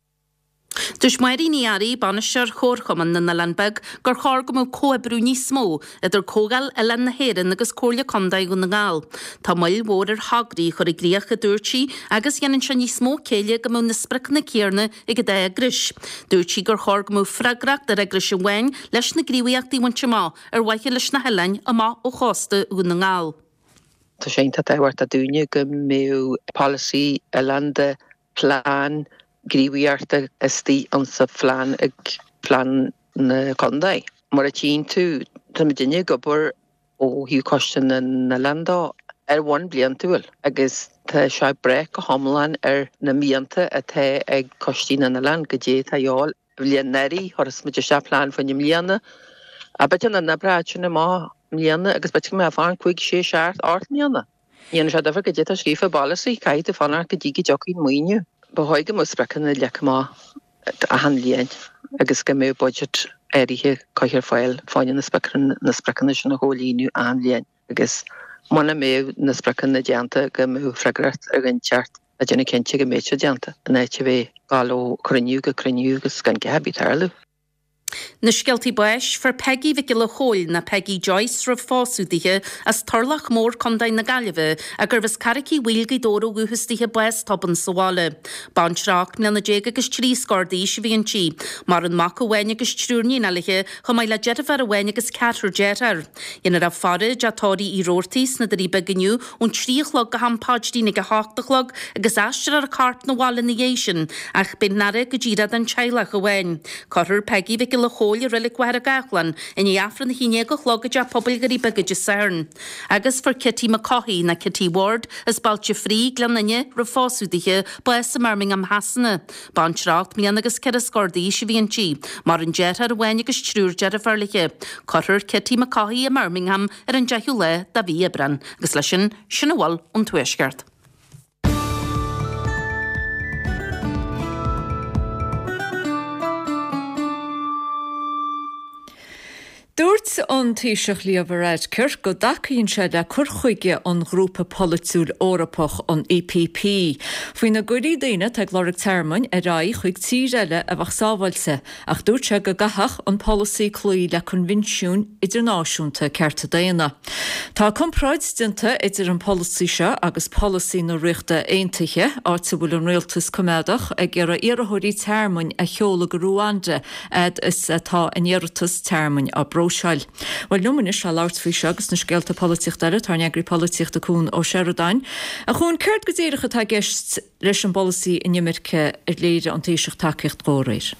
Dúirt Máirín Ní Fhearraigh, Bainisteoir Chomharchumann na nOileán Beag, gur chóir go mbeadh comhoibriú níos mó idir Comhdháil Oileáin na hÉireann agus Comhairle Contae Dhún na nGall. Tá moill mhór ar thograí a chur i gcrích, a dúirt sí, agus dhéanann sé níos mó céille go mbeadh na spriocanna céanna ag an dá eagrais. Dúirt sí gur chóir go mbeadh freagracht ar eagrais amháin leis na gníomhaíochtaí a bhaint amach ar mhaithe leis na hoileáin amach ó chósta Dhún na nGall. Tá sé iontach tábhachtach dúinne go mbeadh polasaí oileánda, plean gníomhaíochta istigh insa phlean ag plean na contae. Mar a tchíonn tú, tá muidinne ag obair ó thaobh Coiste na nOileán de ar bhonn bliantúil agus tá sé ag brath go hiomlán ar na mianta atá ag Coistí na nOileán, goidé atá a dhíobháil. Bhliain anuraidh, chuir muid isteach plean fá choinne mbliana. B'fhéidir nach n-oibreodh sin amach i mbliana agus b'fhéidir go mbeadh fán cúig, sé, seacht, ocht mbliana. Ní dhéanann sé difear goidé atá scríofa i bpolasaí, caithfidh tú fanacht go dtí go dtiocfaidh an maoiniú. Ba chóir go mbeadh spriocanna leagtha amach achan bhliain agus go mbeadh budget áirithe curtha ar fáil fá choinne na spriocanna sin a chomhlíonadh achan bhliain agus muna mbeadh na spriocanna déanta go mbeadh freagracht ar dhuine inteacht a déanamh cinnte go mbeidh siad déanta in áit a bheith ag dul ó chruinniú go cruinniú agus gan a dhath ar bith ag tarlú. Na scéaltaí báis, Fuair Peigí Mhic Giolla Chóill, nó Peggy Joyce roimh phósadh dithe, as Turlach Mór, Contae na Gaillimhe, a gurbh as Carraic Uí Bhaoill, Gaoth Dobhair ó dhúchas dithe, bás tobann sa bhaile. Baintreach ocht mbliana déag agus trí scór d'aois a bhí inti. Maireann mac amháin agus triúr níon léi, chomh maith le deirfiúr amháin agus ceathrar dearthár. Dhéanfar í a faire i dTeach Tórraimh Uí Robhartaigh sna Doirí Beaga inniu ón trí a chlog go ham paidrín ag a hocht a chlog agus aistreofar a corp 'na bhaile ina dhiaidh sin ach beidh an fhaire go díreach don teaghlach amháin. Cuirfear Peggy Mhic Giolla Chóill i Reilig Mhachaire Gathlán i ndiaidh Aifreann a haon déag a chlog i dTeach Pobail Dhoirí Beaga Dé Sathairn. Agus fuair Kitty McCaughey, nó Kitty Ward, as Bailte Fraoigh, Gleann Fhinne, roimh phósadh dithe, bás i mBirmingham Shasana. Baintreach ocht mbliana agus ceithre scór d'aois a bhí inti. Maireann deartháir amháin agus triúr deirfiúr léi. Cuirfear Kitty McCaughey i mBirmingham ar an deichiú lá de mhí Aibreán. Agus leis sin, sin a bhfuil ón Tuaisceart. Dúirt an Taoiseach Leo Varadkar go dtacaíonn sé le cur chuige an ghrúpa polaitiúil Eorpach, an EPP, faoina gcuirfí daoine atá ag lorg tearmainn ar aghaidh chuig tír eile a bheadh sábháilte, ach dúirt sé go gcaithfeadh an polasaí cloí le coinbhinsiúin idirnáisiúnta cearta daonna. Tá comparáid déanta idir an polasaí seo agus polasaí na Ríochta Aontaithe, áit a bhfuil an rialtas coimeádach ag iarraidh iarrthóirí tearmainn a sheoladh go Ruanda fhad is atá a n-iarratas tearmainn á bpróiseáil. Bhuel, liom anois le labhairt faoi seo agus na scéalta polaitíochta eile, tá ár n-eagraí polaitíochta Cuan Ó Seireadáin. A Chuain, céard go díreach atá i gceist leis an bpolasaí inimirce ar léirigh an Taoiseach tacaíocht dó aréir?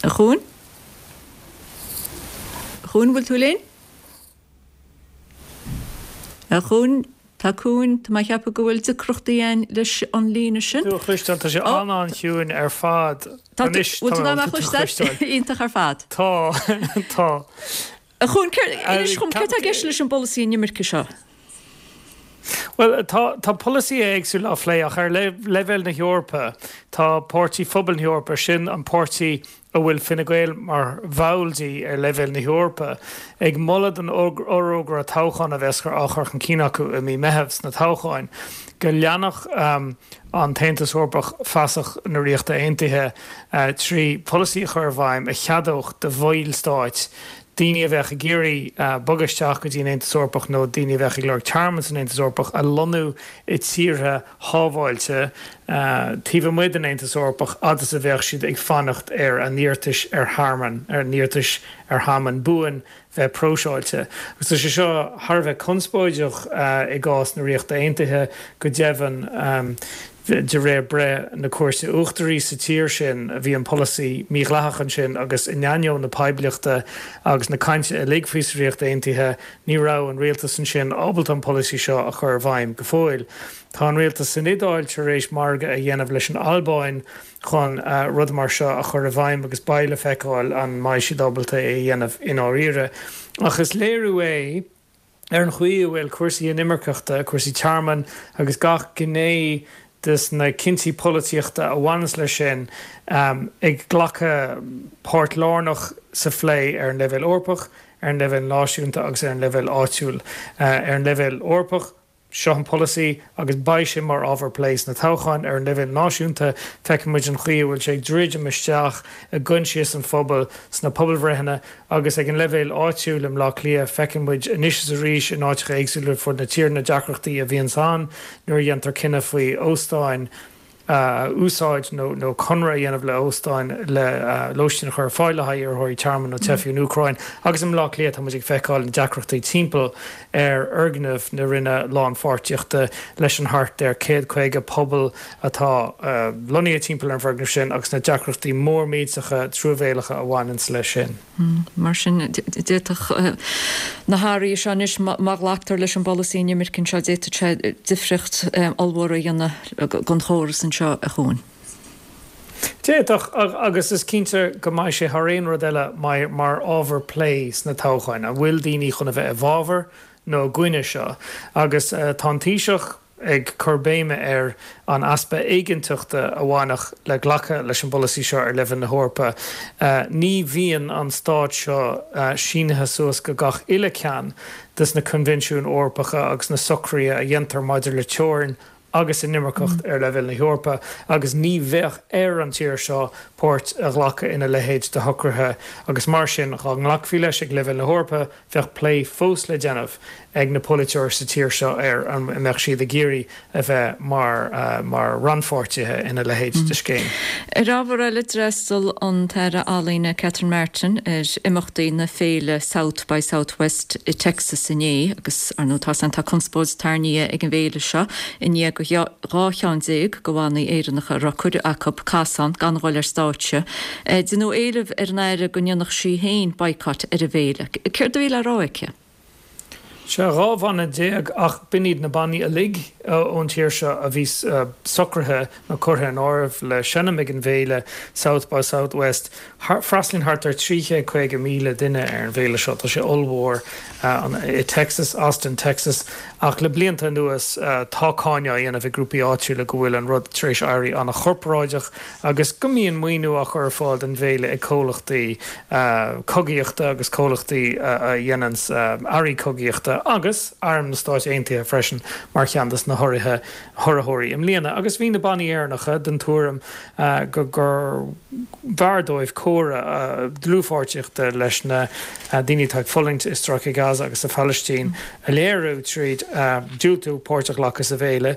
A Chuain? A Chuain, bhfuil tú linn? A Chuain, tá Cuan, tá mé a cheapadh go bhfuil deacrachtaí againn leis an líne sin. Tú a chloisteáil, tá sé an-an-chiúin ar fad. Tá, Anois, bhfuil tú in ann mé a chloisteáil? Iontach ar fad. Tá, tá. A Chuain, inis dhom, céard tá i gceist leis an bpolasaí inimirce seo? Bhuel, tá, tá polasaithe éagsúla á phlé ach ar leibhéal na hEorpa, tá Páirtí Phobal na hEorpa, sin an páirtí a bhfuil Fine Gael mar bhall di ar leibhéal na hEorpa, ag moladh don fhorógra toghcháin a bheas á chur chun cinn acu i mí Meitheamh sna toghcháin, go leanfadh an tAontas Eorpach fasach na Ríochta Aontaithe trí pholasaí a chur i bhfeidhm a cheadódh do bhallstáit daoine a bheadh ag iarraidh bogadh isteach go dtí an Aontas Eorpach nó daoine a bheadh ag lorg tearmann san Aontas Eorpach a lonnú i tíortha shábháilte taobh amuigh den Aontas Eorpach fhad is a bheadh siad ag fanacht ar a n-iarratais ar thearmann, ar a n-iarratais ar thearmann buan bheith próiseáilte. Agus tá sé seo thar a bheith conspóideach i gcás na Ríochta Aontaithe, go deimhin. De réir breith na Cúirte Uachtaraí sa tír sin, bhí an polasaí mídhleathach ansin agus in ainneoin na poiblíochta agus na cainte uilig faoi sa Ríocht Aontaithe, ní raibh an rialtas ansin ábalta an polasaí seo a chur i bhfeidhm go fóill. Tá an rialtas san Iodáil tar éis margadh a dhéanamh leis an Albáin chun rud mar seo a chur i bhfeidhm agus beidh le feiceáil an mbeidh siad ábalta é a dhéanamh i ndáiríre. Ach is léiriú é ar an chaoi a bhfuil cúrsaí inimirceachta, cúrsaí tearmainn agus gach gné des na cinntí polaitíochta a bhaineanns leis sin ag glacadh páirt lárnach sa phlé ar an leibhéal Eorpach, ar an leibhéal náisiúnta agus ar an leibhéal áitiúil. Ar an leibhéal Eorpach, seo an polasaí agus beidh sé mar ábhar plé sna toghcháin. Ar an leibhéal náisiúnta, feiceann muid an chaoi a bhfuil sé ag druidim isteach i gcoinsias an phobail sna pobalbhreitheanna agus ag an leibhéal áitiúil i mBleá Cliath, feiceann muid anois is arís in áiteacha éagsúla ar fud na tíre na deacrachtaí a bhíonns ann nuair a dhéantar cinneadh faoi óstáin a úsáid nó nó conradh a dhéanamh le hóstáin le lóistín a chur ar fáil le haghaidh iarrthóirí tearmainn nó teifigh ón Úcráin. Agus i mBleá Cliath tá muid ag feiceáil na deacrachtaí timpeall ar fhoirgneamh na Roinne Lánpháirtíochta leis an thart ar céad caoga pobal atá lonnaithe timpeall ar an bhfoirgneamh sin agus na deacrachtaí mór millteacha truamhéalacha a bhaineanns leis sin. Mar sin, d'fhéadfadh na hathruithe seo anois, má ghlactar leis an bpolasaí inimirce anseo, d'fhéadfadh sé difríocht ollmhór a dhéanamh don chóras anseo a Chuain. D'fhéadfadh, agus is cinnte go mbeidh sé thar aon rud eile mar ábhar plé sna toghcháin. An bhfuil daoine chun a bheith i bhfabhar nó i gcoinne seo? Agus tá an Taoiseach ag cur béime ar an easpa éiginnteachta a bhainfeadh le glacadh leis an bpolasaí seo ar leibhéal na hEorpa. Ní bhíonn an stát seo sínithe suas go gach uile ceann des na coinbhinsiúin Eorpacha agus na socruithe a dhéantar maidir le teorainn agus inimirceacht ar leibhéal na hEorpa agus ní bheadh ar an tír seo páirt a ghlacadh ina leithéid de shocruithe agus mar sin dhá nglacfaí leis ag leibhéal na hEorpa bheadh plé fós le déanamh ag na polaiteoirí sa tír seo ar an mbeadh siad ag iarraidh a bheith mar mar rannpháirtithe ina leithéid de scéim. Ar ábhar eile, d'fhreastail an tAire Ealaíne Catherine Martin ar imeachtaí na féile South by Southwest i Texas inné agus, ar ndóigh, tá tá conspóid tarraingthe ag an bhféile seo i ndiaidh do dhá cheann déag de bhannaí Éireannacha a raibh cuireadh acu casán gan dhul ar stáitse. Deineadh éileamh ar an Aire go ndéanfadh sí féin boycott ar an bhféile. Céard a bhí le rá aici? Sea, dhá bhanna déag ach b'in iad na bannaí uilig ón tír seo a bhí socraithe nó curtha in áireamh le seinm ag an bhféile South by Southwest. Freastalaíonn thart ar trí chéad caoga míle duine ar an bhféile seo. Tá sé ollmhór i Texas, Austin, Texas. Ach le blianta anuas tá cáineadh á dhéanamh ag grúpaí áitiúla go bhfuil an rud tar éis éirí an-chorparáideach agus go mbíonn maoiniú á chur ar fáil don bhféile ag comhlachtaí cogaíochta agus comhlachtaí a dhéananns earraí cogaíochta agus Arm na Stáit Aontaithe freisin mar cheann de na hurraitheoirí i mbliana. Agus bhí na bannaí Éireannacha den tuairim go gur bhfearr dóibh comhartha dlúthpháirtíochta leis na daoine atá ag fulaingt i Stráice Gaza agus sa Phalaistín a léiriú tríd diúltú páirt a ghlacadh sa bhféile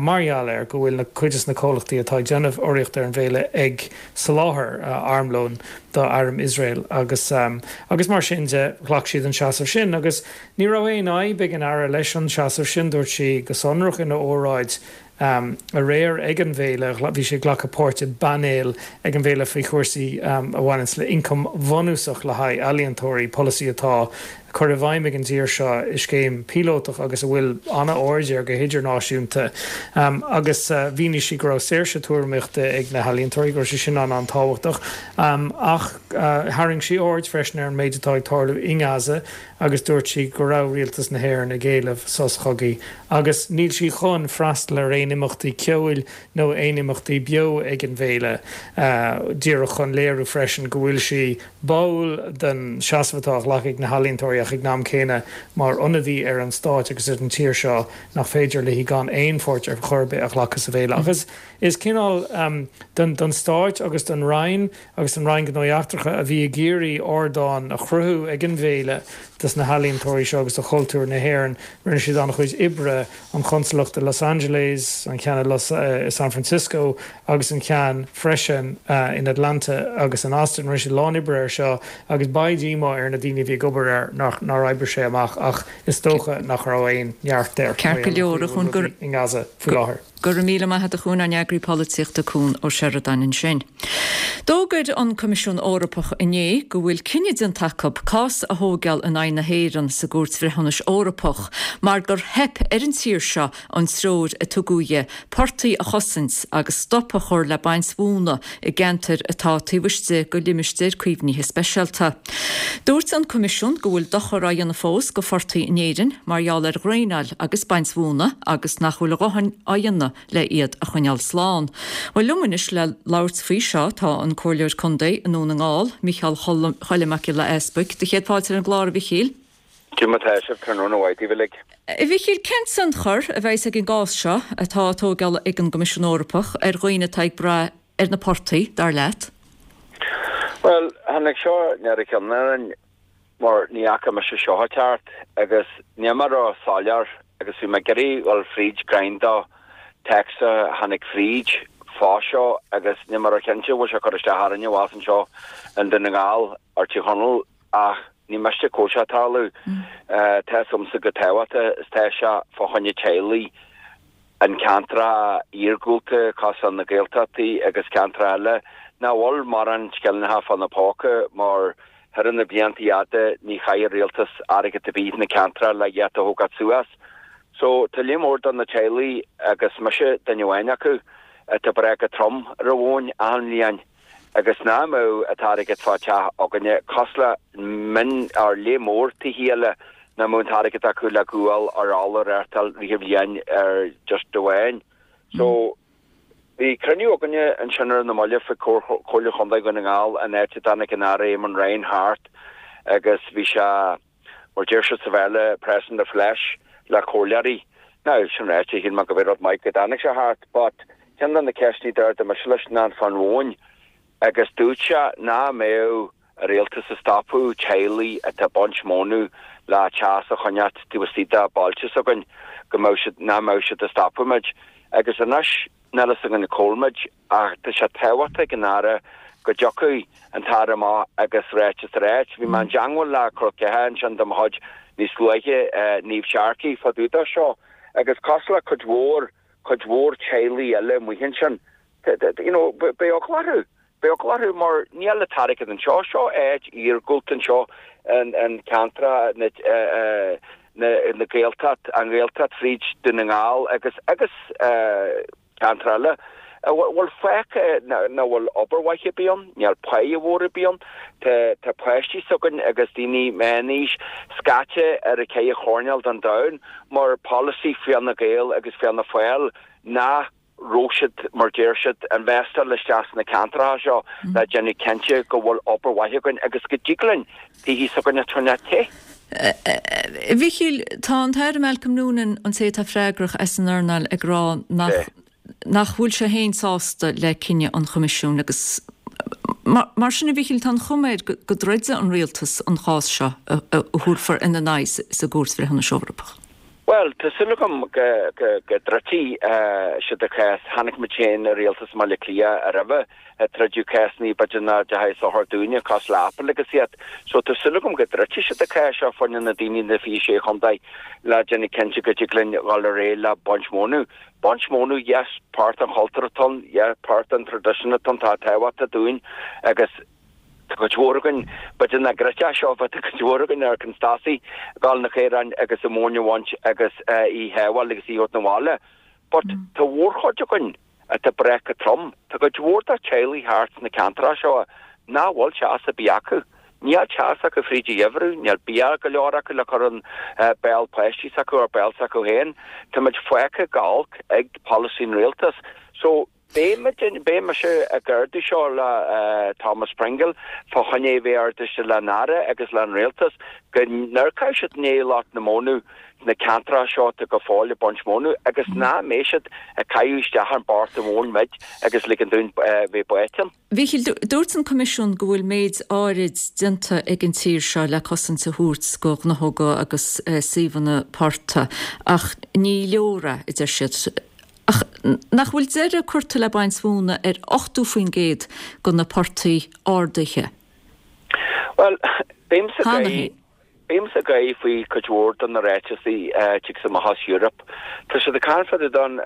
mar gheall ar go bhfuil na cuid de na comhlachtaí atá ag déanamh urraíocht ar an bhféile ag soláthar armlóin do arm Iosrael agus agus mar sin de ghlac siad an seasamh sin agus ní raibh aon fhadhb ag an Aire leis an seasamh sin, dúirt sí go sonrach ina óráid aréir ag an bhféile, bhí sí ag glacadh páirt i bpainéal ag an bhféile faoi chúrsaí a bhaineanns le ioncam bhunúsach le haghaidh ealaíontóirí, polasaí atá curtha i bhfeidhm ag an dtír seo i scéim píolótach agus a bhfuil an-aird air go hidirnáisiúnta. Agus mhínigh sí go raibh saoirse tuairimíochta ag na healaíontóirí, go raibh sé sin an-an-tábhachtach. Ach tharraing sí aird freisin ar an méid atá ag tarlú i nGaza agus dúirt sí go raibh rialtas na hÉireann ag éileamh sos chogaidh agus níl sí chun freastal ar aon imeachtaí ceoil nó aon imeachtaí beo ag an bhféile, díreach chun léiriú freisin go bhfuil sí báúil den seasamh atá á ghlacadh ag na healaíontóirí ach ag an am céanna mar ionadaí ar an stát agus ar an tír seo nach féidir léi gan aon pháirt ar chor ar bith a ghlacadh sa bhféile. Ach is cineál don stát agus don Roinn agus don Roinn Gnóthaí Eachtracha a bhí ag iarraidh ardán a chruthú ag an bhféile dos na healaíontóirí seo agus do chultúr na hÉireann. Rinne siad an-chuid oibre, an chonsalacht i Los Angeles, an ceann i San Francisco agus an ceann freisin in Atlanta agus in Austin. Rinne siad a lán oibre air seo agus beidh díomá ar na daoine a bhí ag obair air nach nár oibrigh sé amach ach is dócha nach raibh aon neart air Ceart go leor a Chuain gur i nGaza faoi láthair. Go raibh míle maith agat a Chuain, ár n-eagraí polaitíochta Cuan Ó Seireadáin ansin. D'fhógair an Coimisiún Eorpach inné go bhfuil cinneadh déanta acu cás a thógáil in aghaidh na hÉireann sa gCúirt Bhreithiúnais Eorpach mar gur theip ar an tír seo an treoir a tugadh di portaigh a chosaint agus stop a chur le baint mhóna i gceantair atá taobh istigh de limistéir caomhnaithe speisialta. Dúirt an Coimisiún go bhfuil dochar á dhéanamh fós go phortaigh in Éirinn mar gheall ar dhraenáil agus baint mhóna agus nach bhfuil a dhóthain á dhéanamh le iad a choinneáil slán. Bhuel liom anois le labhairt faoi seo tá an Comhairleoir Contae i nDún na nGall, Mícheál Choilm Mac Giolla Easbuig. Do chéad fáilte ar an gclár, a Mhichíl. Cad é mar atá sibh, tráthnóna mhaith daoibh uilig. A Mhichíl, cén tionchar a bheas ag an gcás seo atá á tógáil ag an gCoimisiún Eorpach ar dhaoine atá ag brath ar na portaigh, dar leat? Bhuel, tháinig seo ar a cheann orainn mar ní fhaca mise seo ag teacht agus níl mé ró-soiléir agus bhí mé ag iarraidh dhul fríd greim de téacs a tháinig fríd fá seo agus níl mé ró-chinnte bhfuil sé cur isteach orainne abhus anseo i nDún na nGall or Tír Chonaill ach ní miste go bhfuil sé ag tarlú. Tá fhios agamsa chomh tábhachtach is tá sé fá choinne teaghlaigh an ceantracha iargúlta cosúil na Gaeltachtaí agus ceantracha eile nach bhfuil mórán scillingeacha fá na póca mar thar na blianta fhada ní chaith an rialtas airgead ar bith na ceantracha le iad a thógáil suas. So tá lear mór de na teaghlaigh agus mise duine amháin acu atá ag brath go trom ar an mhóin achan bhliain agus nach mbeadh an t-airgead fá teach againne cosúil le min or lear mór tithe eile nach mbeadh an t-airgead acu le gual or ola a reáchtáil rith an bhliain ar just amháin. So bhí cruinniú againne ansin ar na mallaibh faoi Chomhairle Chontae Dhún na nGall an áit a dtáinig an Aire Eamon Ryan thart agus bhí sé mar deir siad sa Bhéarla press in the flesh le comhairleoirí. Now sin ráite shíl mé go bhí rud maith go dtáinig sé thart but ceann de na ceisteanna d'ardaigh mise leis ná fán mhóin agus dúirt sé nach mbeadh an rialtas ag stopadh teaghlaigh atá ag baint mónadh le teas a choinneáil taobh istigh de bailte s'againn go mbeadh siad nach mbeadh siad ag stopadh muid agus anois níl fhios againn cá bhfuil muid ach tá sé tábhachtach ag an Aire go dtiocfaidh an tAire amach agus ráiteas a ráit. Bhí mé i dteangmháil le col ceathar ansin de mo chuid níos luaithe, Niamh Sharkey, fá dtaobh de seo agus cosúil le cuid mhór, cuid mhór teaghlaigh eile amuigh ansin, you know, beidh eagla orthu, beidh eagla orthu mar níl an t-airgead anseo, seo áit iargúlta anseo in, in ceantar na, na, na Gaeltacht, an Ghaeltacht fríd Dún na nGall agus, agus ceantar eile a bhfuil fágtha nach bhfuil obair mhaith ar bith ann, níl páighe mhór ar bith ann, tá tá páistí s'againn agus daoine meánaois scaite ar a ceithre choirnéal den domhan mar polasaí Fianna Gael agus Fianna Fáil nach raibh siad, mar deir siad, investáil isteach sna ceantracha seo le déanamh cinnte go bhfuil obair mhaith againn agus go dtig linn tithe s'againn a choinneáil te. A Mhichíl, tá an tAire Malcolm Noonan, an té atá freagrach as an earnáil, ag rá nach nach bhfuil sé féin sásta le cinneadh an Choimisiúin agus mar sin, a Mhichíl, tá an chuma air go dtroidfidh an rialtas an chás seo a thabharfar ina n-aghaidh sa gCúirt Bhreithiúnais Eorpach. Bhuel, tá súil agam go dtroidfidh siad an cás. Chonaic muid féin i rialtas i mBaile Átha Cliath roimhe ag troideadh cásanna b'fhéidir nach dteachaigh sochar dúinne, cás le Apple agus iad. So tá súil agam go dtroidfidh siad an cás seo fá choinne na daoine na fiche sé chontae le déanamh cinnte go dtig linn dhul ar aghaidh le baint mónadh. Baint mónadh, yes, páirt den chultúr atá ann, yeah, páirt den tradition atá ann, tá tábhachtach dúinn agus tá cuid mhór againn, b'fhéidir nach gcreidfeá seo, but tá cuid mhór againn ar constasaí, dul na caoráin agus an mhóin a bhaint agus í a shábháil agus í a thabhairt 'na bhaile. But tá mhórchuid againn atá ag brath go trom. Tá cuid mhór de teaghlaigh thart sna ceantracha seo nach bhfuil teas ar bith acu. Níl teas acu fríd an gheimhreadh, níl bia go leor acu le cur in béal páistí s'acu or béal s'acu féin. Tá muid fágtha go holc ag polasaí an rialtas. So beidh muid, beidh mise ag ardú seo le Thomas Pringle fá choinne é bheith ardaithe le an Aire agus le an rialtas go n-amharcfaidh siad i ndiaidh lucht na mónadh sna ceantracha seo atá go fóill ag baint mónadh agus nach mbeidh siad ag caitheamh isteach an port an mhóin muid agus ligean dúinn bheith báite ann. Mhichíl, dúirt an Coimisiún go bhfuil méid áirid déanta ag an tír seo le cosaint a thabhairt go gnáthóga agus suíomhanna portaigh ach ní leor é, a deir siad. Ach Nach bhfuil deireadh curtha le baint mhóna ar ochtó faoin gcéad de na portaigh ardaithe? Bhuel, bímse ag bímse ag gáire faoi cuid mhór de na ráiteasaí a tig amach as Europe. Tá siad ag caint fá dtaobh don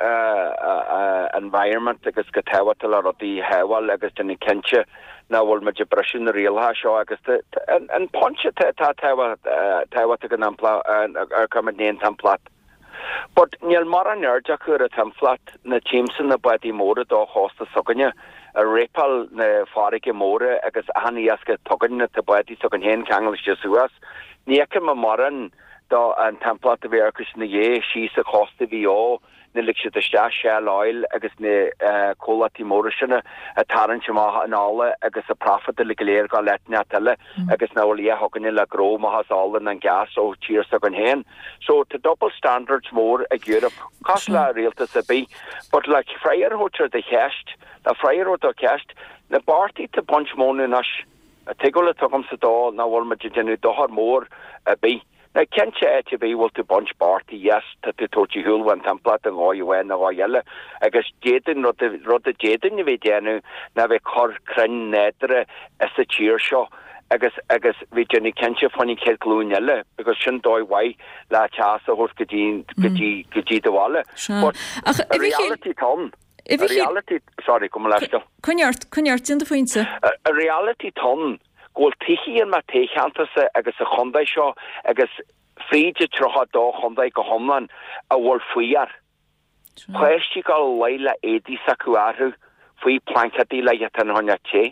environment agus go tábhachtach le rudaí a shábháil agus déanamh cinnte nach bhfuil muid ag briseadh na rialacha seo agus an pointe atá tábhachtach an ar cumann an timpeallacht. But níl mórán aird acu ar an timpeallacht na tímsa na bádaí móra do chósta s'againne ag rapáil na farraige móra agus achan iasc a tugann na bádaí s'againn féin ceangailte suas. Ní fheicim mórán do an timpeallacht a bhí acu ina dhiaidh síos sa chósta Mhaigh Eo na lig siad isteach Shell Oil agus na comhlachtaí móra sin ag tarraingt amach an ola agus a profit uilig go léir go áit inteacht eile agus nach bhfuil a dhath againne le gnó amach as ola ná an gas ó tír s'againn féin. So tá double standards mór ag Europe cosúil le rialtas ar bith but le freagra a thabhairt ar do cheist, le freagra a thabhairt do cheist, na portaigh atá ag baint móna anois, an tuigbheáil atá agamsa dó nach bhfuil muid ag déanamh dochar mór ar bith. Now cinnte áit ar bith bhfuil tú ag baint portaigh yes tá tú ag tabhairt ar shiúl ón timpeallacht i ndóigh amháin nó dhóigh eile agus d'fhéadfainn rud rud a d'fhéadfainn a bheith ag déanamh ná bheith ag cur crainn nádúrtha sa tír seo agus agus bheith déanamh cinnte fán chéad ghlúin eile because sin dóigh mhaith le teas a thabhairt go dtí go dtí go dtí do bhaile. But an reality atá ann an reality sorry gabh mo leithscéal. Coinnigh ort, coinnigh ort, déan do phointe. An reality atá ann go bhfuil tithe in mo thoghcheantarsa agus sa chontae seo agus fríd an tríocha dó chontae go hiomlán a bhfuil fuar. Páistí ag dul a luí le éadaí s'acu orthu faoi plaincéadaí le iad a choinneáil te,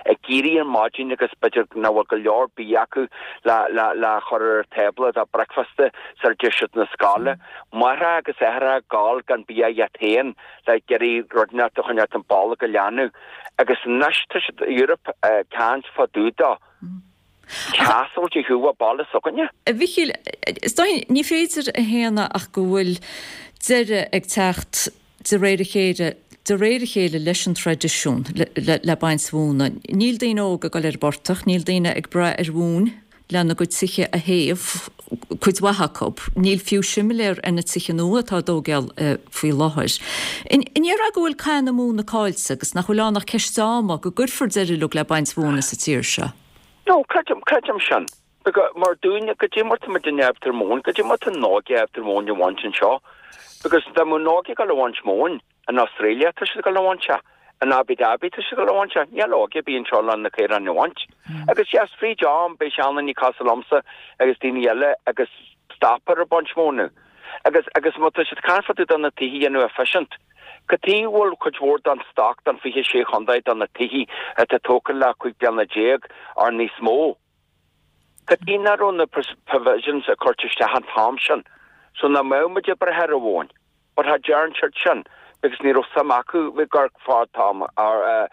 ag éirí ar maidin agus b'fhéidir nach bhfuil go leor bia acu le le le chur ar an tábla do bricfeasta sar a dtéann siad na scoile. Máithreacha agus aithreacha ag gabháil gan bia iad féin le iarraidh rud inteacht a choinneáil an bolg a leanadh. Agus anois tá siad Europe ag caint fá dtaobh de teas a thabhairt ar shiúl ó baile s'againne. A Mhichíl, is dóigh ní féidir a shéanadh ach go bhfuil deireadh ag teacht de réir a chéile de réir a chéile leis an traidisiún le le baint mhóna. Níl daoine óga ag dul ar an bportach, níl daoine ag brath ar mhóin lena gcuid tithe a théamh, cuid mhaith acu. Níl fiú similéar ar na tithe nua atá á dtógáil faoi láthair. An ndéarfá go bhfuil cath na móna caillte agus nach bhfuil ann ach ceist ama go gcuirfear deireadh uilig le baint mhóna sa tír seo? No, creidim, creidim sin. Because mar dúinne, goidé mar tá muidinne ábalta ar móin, goidé mar tá an óige ábalta ar móin a bhaint anseo. Because dá mbeadh an óige ag dul a bhaint móin in Australia, tá siad ag dul a bhaint é. In Abu Dhabi tá siad ag dul a bhaint é. Níl óige ar bith anseo le na caoráin a bhaint. Agus yes, fríd am, beidh seandaoine cosúil liomsa agus daoine eile agus stopfar ag baint móna. Agus, agus má tá siad ag caint fá dtaobh de na tithe a dhéanamh efficient, cad chuige a bhfuil cuid mhór den stoc den fiche sé chontae de na tithe atá tógtha le cúig bliana déag or níos mó? Cad chuige nach raibh na provisions a curtha isteach an t-am sin so nach mbeadh muid ag brath ar an mhóin? But cha dtearn siad sin because ní raibh suim acu bheith ag amharc fad t-am or ag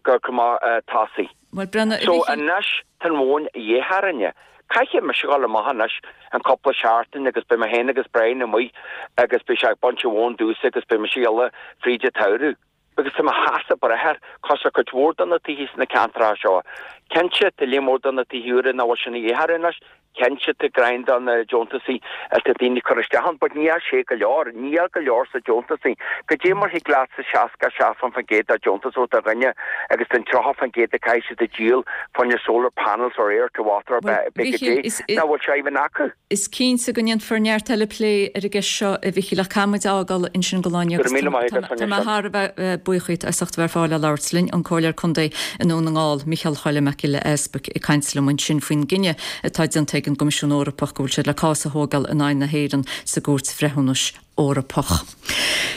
amharc amach tosaigh. Bhuel, Brenna, So anois tá an mhóin a dhíth orainne. Caithfidh mise dhul amach anois an cúpla seachtain agus beidh mé féin agus Brian amuigh agus beidh sé ag baint an mhóin domhsa agus beidh mise ag dul fríd an tsamhradh. Because tá mo sheasamh breith air, cos ar cuid mhór de na tithe sna ceantracha seo. Cinnte, tá líon mór de na tithe úra nach bhfuil sin a dhíth orthu anois, cinnte tá greim de na deontasaí atá daoine ag cur isteach ann, but níl sé go leor, níl go leor sa deontasaí. Goidé mar thig leatsa seasca seacht faoin gcéad de deontas ó do dhuine agus den tríocha faoin gcéad a caithfidh siad a díol fá choinne solar panels or air to water or Bhuel, b'fhéidir Mhichíl, is, nach bhfuil sé even acu. Is cinnte go ndéanfar neart eile plé ar an gceist seo, a Mhichíl, ach caithfidh muid a fhágáil ansin don lá inniu Go agus raibh míle maith agat, tá mé thar a bheith buíoch díot as ucht a bheith ar fáil le labhairt linn, an Comhairleoir Contae i nDún na nGall, Micheál Choilm Mac Giolla Easpaig ag caint liom ansin faoin gcinneadh atá déanta ag an gCoimisiún Eorpach go bhfuil siad le cás a thógáil in aghaidh na hÉireann sa gCúirt Bhreithiúnais Eorpach.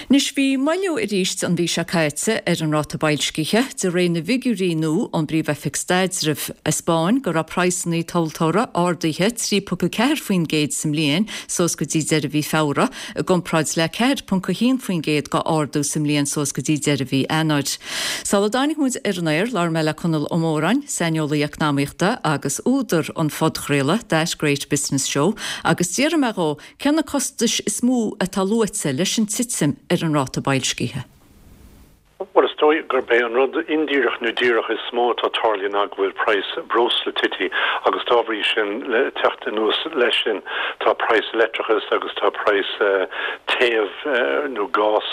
Anois bhí moilliú arís an mhí seo caite ar an ráta boilscithe, de réir na bhfigiúirí nua ón bPríomh-Oifig Staidrimh a 'speáin go raibh praghsanna tomhaltóra ardaithe trí ponc a ceathair faoin gcéad sa mbliain suas go dtí deireadh mhí Feabhra, i gcomparáid le ceathair ponc a haon faoin gcéad go ardú sa mbliain suas go dtí deireadh mhí Eanáir. Sula dtáinig muid ar an aer, labhair mé le Conall Ó Móráin, saineolaí eacnamaíochta agus údar an phodchraoladh That Great Business Show, agus d'fhiafraigh mé dhó Cé na costais is mó atá luaite leis an titim ar an ráta boilscithe? Bhuel, is dóigh gurb é an rud indíreach nó díreach is mó atá tarlaithe ná go bhfuil praghas breosla tite agus dá bhrí sin, le teacht anuas leis sin, tá praghas leictreachais agus tá praghas téamh nó gás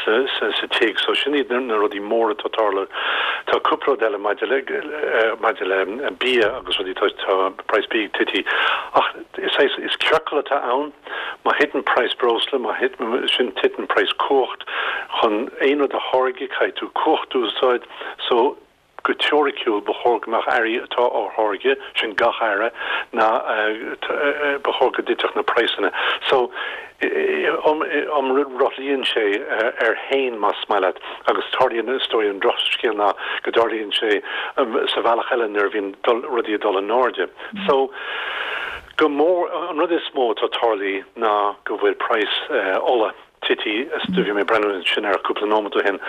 sa tigh. So sin iad na rudaí móra atá tarlaithe. Tá cúpla rud eile maidir le maidir le bia agus rudaí, tá praghas bídh tite. Ach is is ciorcal atá ann. Má thiteann praghas breosla, má thiteann sin titeann praghas cumhacht. Chun aon rud a tháirgeadh caithfidh tú cumhacht a úsáid so go teoiriciúil ba chóir go mbeadh earraí atá á tháirgeadh, sin gach earra, ná ba chóir go dtitfeadh na praghsanna. So iomrothlaíonn sé air féin más maith leat agus tarlaíonn, is dóigh an drochscéal ná go dtarlaíonn sé sa bhealach eile nuair a bhíonn rudaí ag dul in airde. So go mór, an rud is mó atá tarlaithe ná go bhfuil praghas ola tite, do bhí mé ag breathnú ansin air cúpla nóiméad ó shin,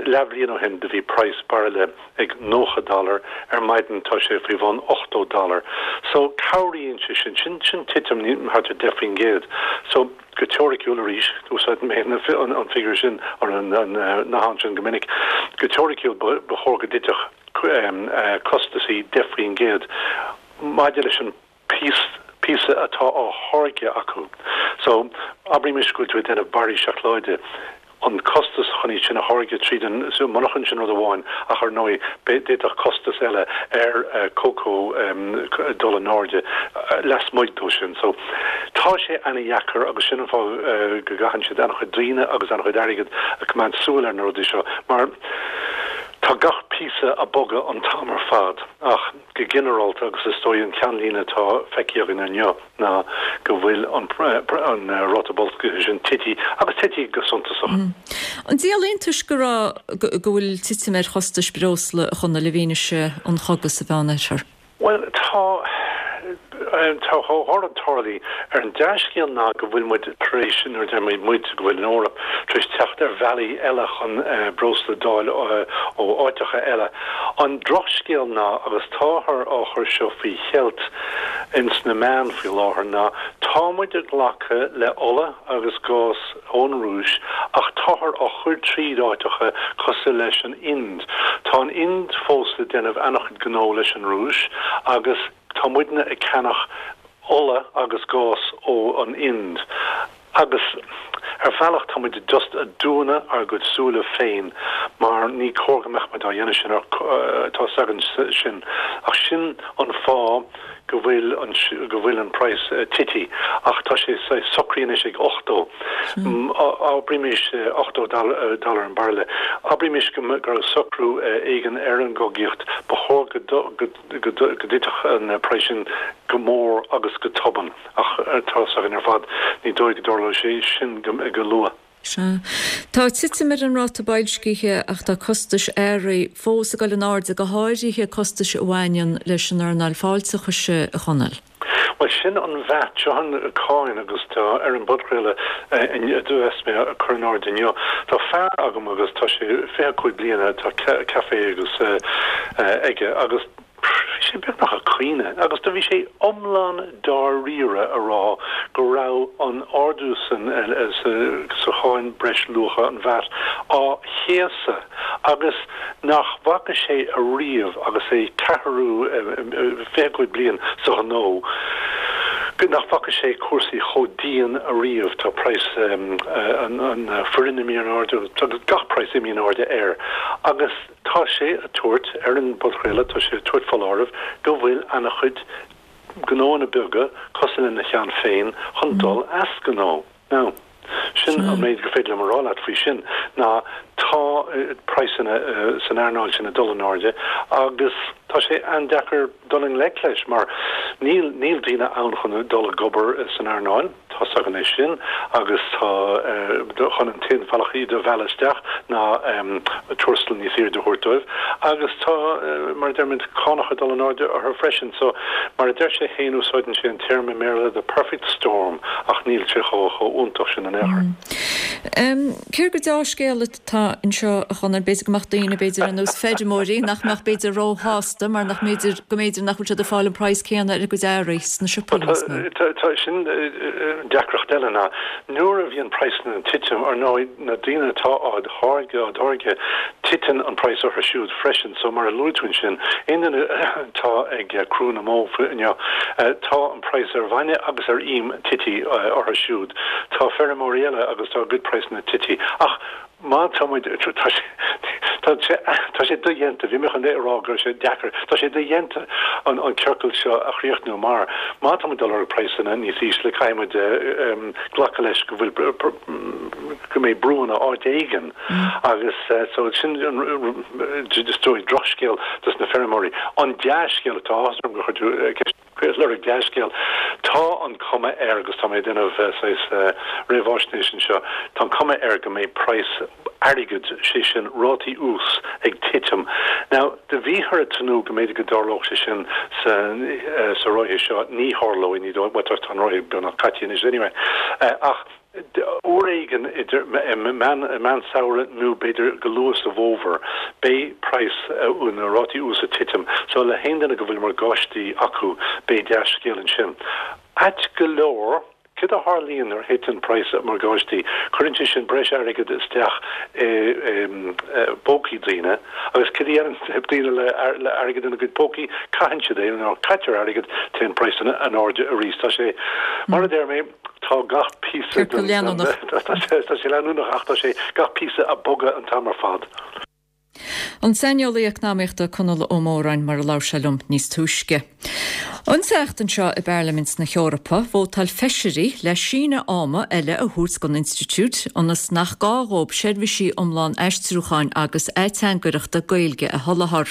leathbhliain ó shin do bhí praghas bairille ag nócha dollar, ar maidin tá sé faoi bhun ochtó dollar. So cabhraíonn sé sin, sin sin titim thart ar deich faoin gcéad. So go teoiriciúil arís, úsáideann mé an figiúr sin, an nathán sin go minic, go teoiriciúil ba chóir go dtitfeadh costasaí deich faoin gcéad maidir leis an píosa atá á tháirgeadh acu. So, abraimis go bhfuil tú ag déanamh barraí seacláide, an costas chun iad sin a tháirgeadh tríd an monarchan, sin rud amháin, ach ar ndóigh d'fhéadfadh costas eile ar cócó dul in airde lasmuigh dó sin. So, tá sé ana-dheacair agus sin an fáth go gcaitheann siad an-chuid daoine agus an-chuid airgid ag coimeád súil ar na rudaí seo mar tá gach píosa ag bogadh an t-am ar fad ach go ginearálta agus is dóigh an ceannlíne atá feicthe againn inniu ná go bhfuil an ráta boilscithe sin tite agus tite go suntasach. An díol iontais go raibh go bhfuil titim ar chostais breosla a Chonaill i bhfianaise an chogaidh sa Mheánoirthear? Bhuel, tá tá dhá rud tarlaithe. Ar an dea-scéal ná go bhfuil muid tar éis, nuair a deir mé muid, go bhfuil an Eoraip tar éis teacht ar bhealaí eile chun breosla d'fháil ó áiteacha eile. An drochscéal ná, agus táthar á chur seo faoi cheilt ins na meáin faoi láthair, ná tá muid ag glacadh le ola agus gás ón Rúis ach táthar á chur tríd áiteacha cosúil leis an Ind. Tá an Ind fós ag déanamh an-chuid gnó leis an Rúis agus tá muidne ag ceannach ola agus gás ó an Ind agus ar bhealach tá muid just ag dúnadh ár gcuid súile féin mar ní cóir go mbeadh muid á dhéanamh sin ar tá 'fhios againn sin ach sin an fáth go bhfuil an go bhfuil an praghas tite ach tá sé socraithe anois ag ochtó abraimis ochtó dollar an bairille abraimis go raibh socrú éigin ar an gcogaíocht ba chóir go go dtitfeadh an praghas sin go mór agus go tobann ach tá 'fhios againn ar fad ní dóigh go dtarlóidh sé sin go luath. Sea. Tá titim ar an ráta boilscithe ach tá costais earraí fós ag dul in airde, go háirithe costais a bhaineann leis an earnáil fáilteachais, a Chonaill. Bhuel, sin an VAT, seo an cáin agus tá ar an bpodchraoladh a bheas mé ag cur in airde inniu. Tá fear agam agus tá sé fiche cúig bliana, tá café agus aige agus bhí sé beagnach ag caoineadh agus do bhí sé iomlán dáiríre a rá go raibh an ardú san sa cháin breis luacha, an VAT, á chéasadh agus nach bhfaca sé ariamh agus é ceathrú fiche cúig bliain sa ghnó go nach bhfaca sé cúrsaí chomh dian ariamh. Tá praghas an foireann imithe in airde agus gach praghas imithe in airde air agus Tá sé ag tabhairt, ar an bpodchraoladh, tá sé ag tabhairt foláireamh go bhfuil ana-chuid gnóanna beaga cosúil lena cheann féin chun dul as gnó. Now, sin an méid gur féidir liom a rá leat faoi sin, ná tá praghsanna san earnáil sin ag dul in airde agus tá sé an-deacair dul i ngleic leis mar níl, níl daoine ann chun dul ag obair san earnáil. Tá 's againn é sin agus tá chun an t-aon bhealach iad a mhealladh isteach ná tuarastal níos airde a thabhairt dóibh agus tá, mar a deirimid, cánacha ag dul in airde orthu freisin. So, mar a deir sé féin, úsáideann sé an téarma i mBéarla the perfect storm ach níl sé chomh iontach sin in aon chor. Cé gur deá-scéal atá anseo, a Chonaill, b'fhéidir go mbeadh daoine, b'fhéidir ar nós feirmeoirí, nach mbeadh b'fhéidir róshásta mar nach mb'fhéidir, go mb'fhéidir nach bhfuil siad ag fáil an praghas céanna ar a gcuid earraí sna siopaí níos mó. Tá, tá sin, Deacracht eile ná nuair a bhíonn praghsanna ag titim, ar ndóigh, na daoine atá á tháirgeadh, á dtáirgeadh, titeann an praghas orthu siúd freisin. So, mar a luaigh tú ansin, aon duine atá ag crú na mbó inniu, tá an praghas ar bhainne agus ar im tite orthu siúd. Tá feirmeoirí eile agus tá a gcuid praghsanna tite. Ach má tá muid, tá sé, tá sé, tá sé dodhéanta, bhí mé chun a rá go raibh sé deacair, tá sé dodhéanta an an ciorcal seo a chríochnú mar má tá muid ag lorg praghsanna níos ísle caithfidh muid glacadh leis go bhfuil, go mbeidh brúanna áit éigin agus so sin an, is dóigh, drochscéal dos na feirmeoirí. An dea-scéal atá, áthas orm gur chuir tú ceist. Lorg dea-scéal. Tá an cuma air, agus tá mé ag déanamh saghas réamhaisnéis anseo, tá an cuma air go mbeidh praghas airgid, sé sin rátaí ús, ag titim. Now, do bhíothar ag tnúth go mb'fhéidir go dtarlódh sé sin sa sa ráithe seo, ní tharlóidh, ní dóigh, bhuel tá an ráithe beagnach caite anois anyway, ach uair éigin idir meán samhradh nó b'fhéidir go luath sa bhfómhar, beidh praghas na rátaí ús ag titim. So le haon duine go bhfuil morgáistí acu, beidh dea-scéal ansin. Ait go leor, céard a tharlaíonn nuair a thiteann praghas morgáistí? Cuireann sé sin breis airgid isteach i bpócaí daoine agus céard a dhéanann daoine le airgead ina gcuid pócaí? Caitheann siad é. Nuair a caitear airgead, téann praghsanna in airde arís. Tá sé, mar a deir mé, Tá gach píosa den. leanúnach. Tá sé leanúnach ach tá sé gach píosa ag bogadh an t-am ar fad. An saineolaí eacnamaíochta Conall Ó Móráin mar a labhair sé liom níos túisce. An tseachtain seo i bParlaimint na hEorpa, vótáil feisirí le síneadh ama eile a thabhairt don institiúid ionas nach gá dhóibh seirbhísí iomlán aistriúcháin agus ateangaireachta Gaeilge a sholáthar.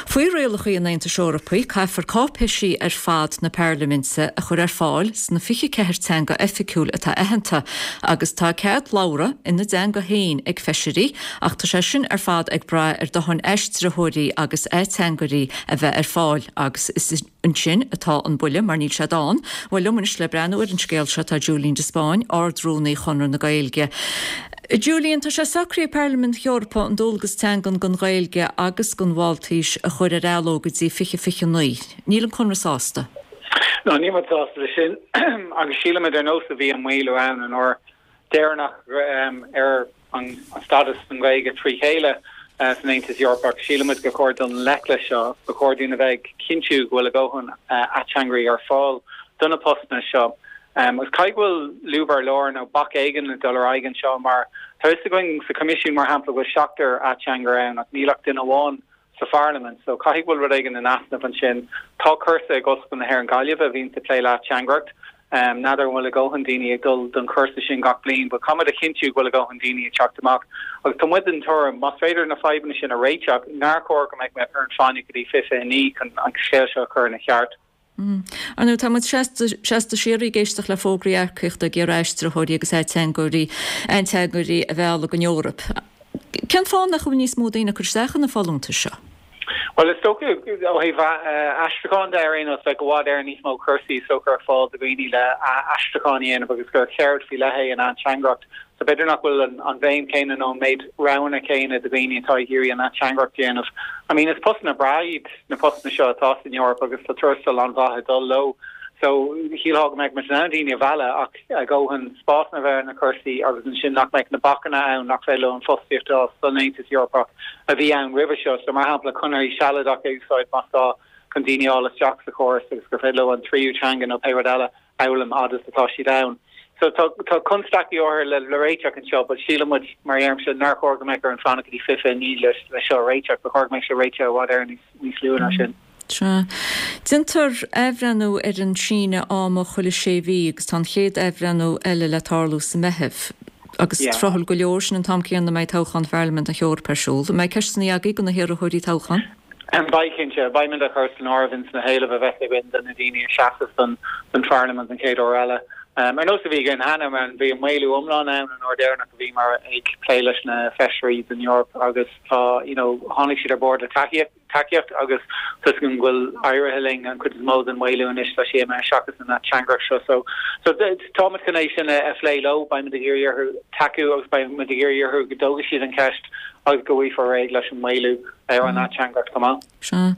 Faoi rialacha an Aontais Eorpaigh, caithfear cáipéisí ar fad na Parlaiminte a chur ar fáil sna fiche ceathair teanga oifigiúil atá aitheanta agus tá cead labhartha ina dteanga féin ag feisirí ach tá sé sin ar fad ag brath ar dóthain aistritheoirí agus ateangairí a bheith ar fáil agus is ansin atá an buille mar níl siad ann. Bhuel, liom anois le breathnú ar an scéal seo tá Julian de Spáinn, Ard-Rúnaí Chonradh na Gaeilge. Julian, tá sé socraithe ag Parlaimint na hEorpa an dualgas teangan don Ghaeilge agus don Mháltaís a chur ar athló go dtí fiche fiche naoi. Níl an Conradh sásta. No, níl muid sásta leis sin agus sílimid ar nós a bhí an maolú ann an uair deireanach ar an stádas don Ghaeilge trí chéile san Aontas Eorpach, sílimid gur chóir dul i ngleic leis seo, ba chóir dúinn a bheith ag cinntiú go bhfuil a dhóthain ateangairí ar fáil do na postanna seo. Agus caithfidh go bhfuil lúb ar lár nó bac éigin ag dul ar aghaidh anseo mar tá fhios againn sa Choimisiún mar shampla go bhfuil seachtar ateangaire ann ach níl ach duine amháin sa Pharlaimint so caithfidh go bhfuil rud éigin in easnamh ansin. Tá cúrsa ag Ollscoil na hÉireann Gaillimh a bhíonns ag plé le hateangaireacht. N'fheadar an bhfuil a dhóthain daoine ag dul don chúrsa sin gach bliain but caithfimid a chinntiú go bhfuil a dhóthain daoine ag teacht amach agus tá muid den tuairim más féidir na fadhbanna sin a réiteach nár chóir go mbeadh muid orainn fanacht go dtí fiche fiche naoi chun an scéal seo a chur ina cheart. Ar ndóigh, tá muid seasta seasta síoraí ag éisteacht le fógraí earcaíochta ag iarraidh aistritheoirí agus ateangairí ateangairí a mhealladh don Eoraip. Cén fáth nach bhfuil níos mó daoine ag cur isteach ar na folúntais seo? Bhuel, is dócha, ó thaobh aistriúcháin de ar aon nós, bheadh i bhfad Éireann níos mó cúrsaí is dócha ar fáil do dhaoine le aistriúchán a dhéanamh agus gur cheird faoi leith é an ateangaireacht. So b'fhéidir nach bhfuil an bhéim chéanna nó an méid roghanna céanna do dhaoine atá ag iarraidh an ateangaireacht a dhéanamh. I mean, is postanna breá iad na postanna seo atá san Eoraip agus tá tuarastal an-mhaith ag dul leo. So shílfeá go mbeadh muid in ann daoine a mhealladh ach a dhóthain spásanna a bheith ar na cúrsaí agus ansin nach mbeadh na bacanna ann nach féidir leo an fostaíocht a fháil san Aontas Eorpach a bhí ann roimhe seo. So mar shampla conarthaí sealadacha a úsáid más gá chun daoine a fháil isteach sa chóras agus gur féidir leo an tríú teanga nó pé rud eile a fhoghlaim fhad is atá siad ann. So tá tá constaicí áirithe le le réiteach anseo but síleann muid mar a deirimse nár chóir go mbeadh orainn fanacht go dtí fiche fiche naoi le le seo a réiteach. Ba chóir go mbeadh sé réitithe i bhfad Éireann níos níos luaithe ná sin. Sea. Déantar athbhreithniú ar an síneadh ama chuile sé mhí agus tá an chéad athbhreithniú eile le tarlú sa Meitheamh. Agus tráthúil go leor, sin an t-am céanna a mbeidh toghchán Pharlaimint na hEorpa ar siúl. An mbeidh ceisteanna agaibh do na hiarrthóirí toghcháin? Beidh, cinnte. Beimid á chur san áireamh ins na héilimh a bheas againn do na daoine a sheasfas don Pharlaimint an chéad uair eile. Ar nós a bhí againn cheana, bhí an maolú iomlán ann an uair deireanach a bhíomar ag plé leis na feisirí don Eoraip agus tá, you know, tháinig siad ar bord le tacaíocht. tacaíocht agus tá 'fhios agam go bhfuil éirithe linn an chuid is mó den mhaolú anois tá sé imithe seachas an ateangaireacht seo so so táimid chun é sin a phlé leo beimid ag iarraidh orthu tacú agus beimid ag iarraidh orthu go dtógfaidh siad an cheist agus go bhfaighfear réidh leis an maolú ar an ateangaireacht chomh maith. Sea.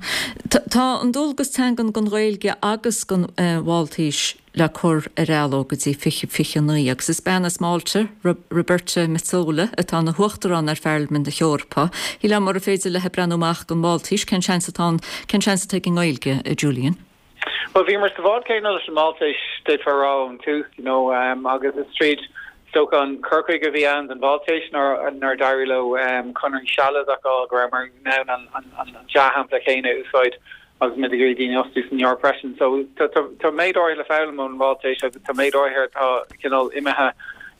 Tá an dualgas teangan don Ghaeilge agus don Mháltaís le cur ar athló go dtí fiche fiche naoi agus is bean as Málta, Roberta Metsola, atá ina huachtarán ar Pharlaimint na hEorpa. Shílfeá mura féidir léi breathnú amach don Mháltais, cén seans atá ann, cén seans atá ag an nGaeilge, a Julian? Bhuel, bhíomar sa bhád céanna leis an Máltais, d'fhéadfá a rá ón tús, you know, agus is tríd, is dócha, an cur chuige a bhí ann don Mháltais nuair d'éirigh leo conarthaí sealadacha a fháil go rabhamar in ann an dea-shampla céanna a úsáid agus muid ag iarraidh daoine a fhostú san Eoraip freisin. So tá méid áirithe le foghlaim ón Mháltais agus tá méid áirithe atá cineál imithe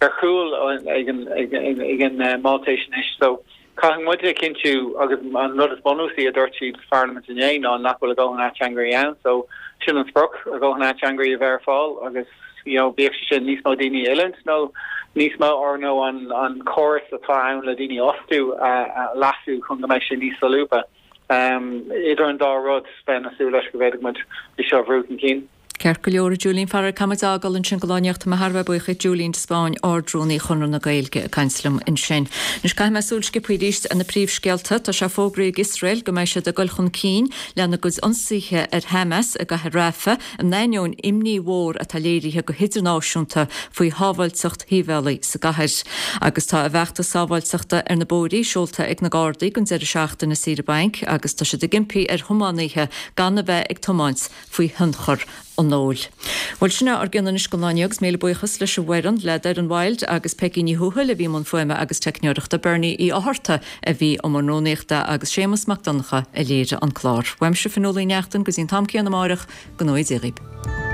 ar chúl ag an Máltais anois. So caithfidh muid a chinntiú agus an rud is bunúsaí a dúirt siad sa Pharlaimint inné ná nach bhfuil a dhóthain ateangairí ann. So sin an sprioc, a dhóthain ateangairí a bheith ar fáil agus you know bíodh sé sin níos mó daoine a oiliúint nó níos mó or nó an an córas atá ann le daoine a fhostú a leasú chun go mbeidh sé níos solúbtha. Idir an dá rud, bheinn ag súil leis go bhféadfadh muid é seo a bhrú chun cinn. Ceart go leor, a Julian, faraor caithfidh muid a fhágáil ansin do Lá Nuachta. Tá mé thar a bheith buíoch Julian de Spáinn, Ard-Rúnaí Chonradh na Gaeilge ag caint liom ansin. Anois caithfidh mé súil sciobtha arís ar na príomhscéalta. Tá sé fógraithe ag Iosrael go mbeidh siad ag dul chun cinn lena gcuid ionsaithe ar Hamas i gcathair Rafah in ainneoin imní mhór atá léirithe go hidirnáisiúnta faoi shábháilteacht shibhialaigh sa gcathair. Agus tá a bhfeachtas sábháilteachta ar na bóithrí seolta ag na Gardaí don deireadh seachtaine saoire bainc agus tá siad ag impí ar thiománaithe gan a bheith ag tiomáint faoi thionchar an óil. Bhuel, sin é ár gcion anois don lá inniu agus míle buíochas leis an bhfoireann, le Doireann Wilde agus Peigí Ní Thuathail a bhí i mbun fuaime agus teicneoireachta, Bernie Uí Fhátharta a bhí i mbun rúnaíochta agus Séamus Mac Donncha a léirigh an clár. Uaimse Fionnuala Uí Neachtain go dtí an t-am céanna amáireach, go ngnóthaí Dia dhaoibh.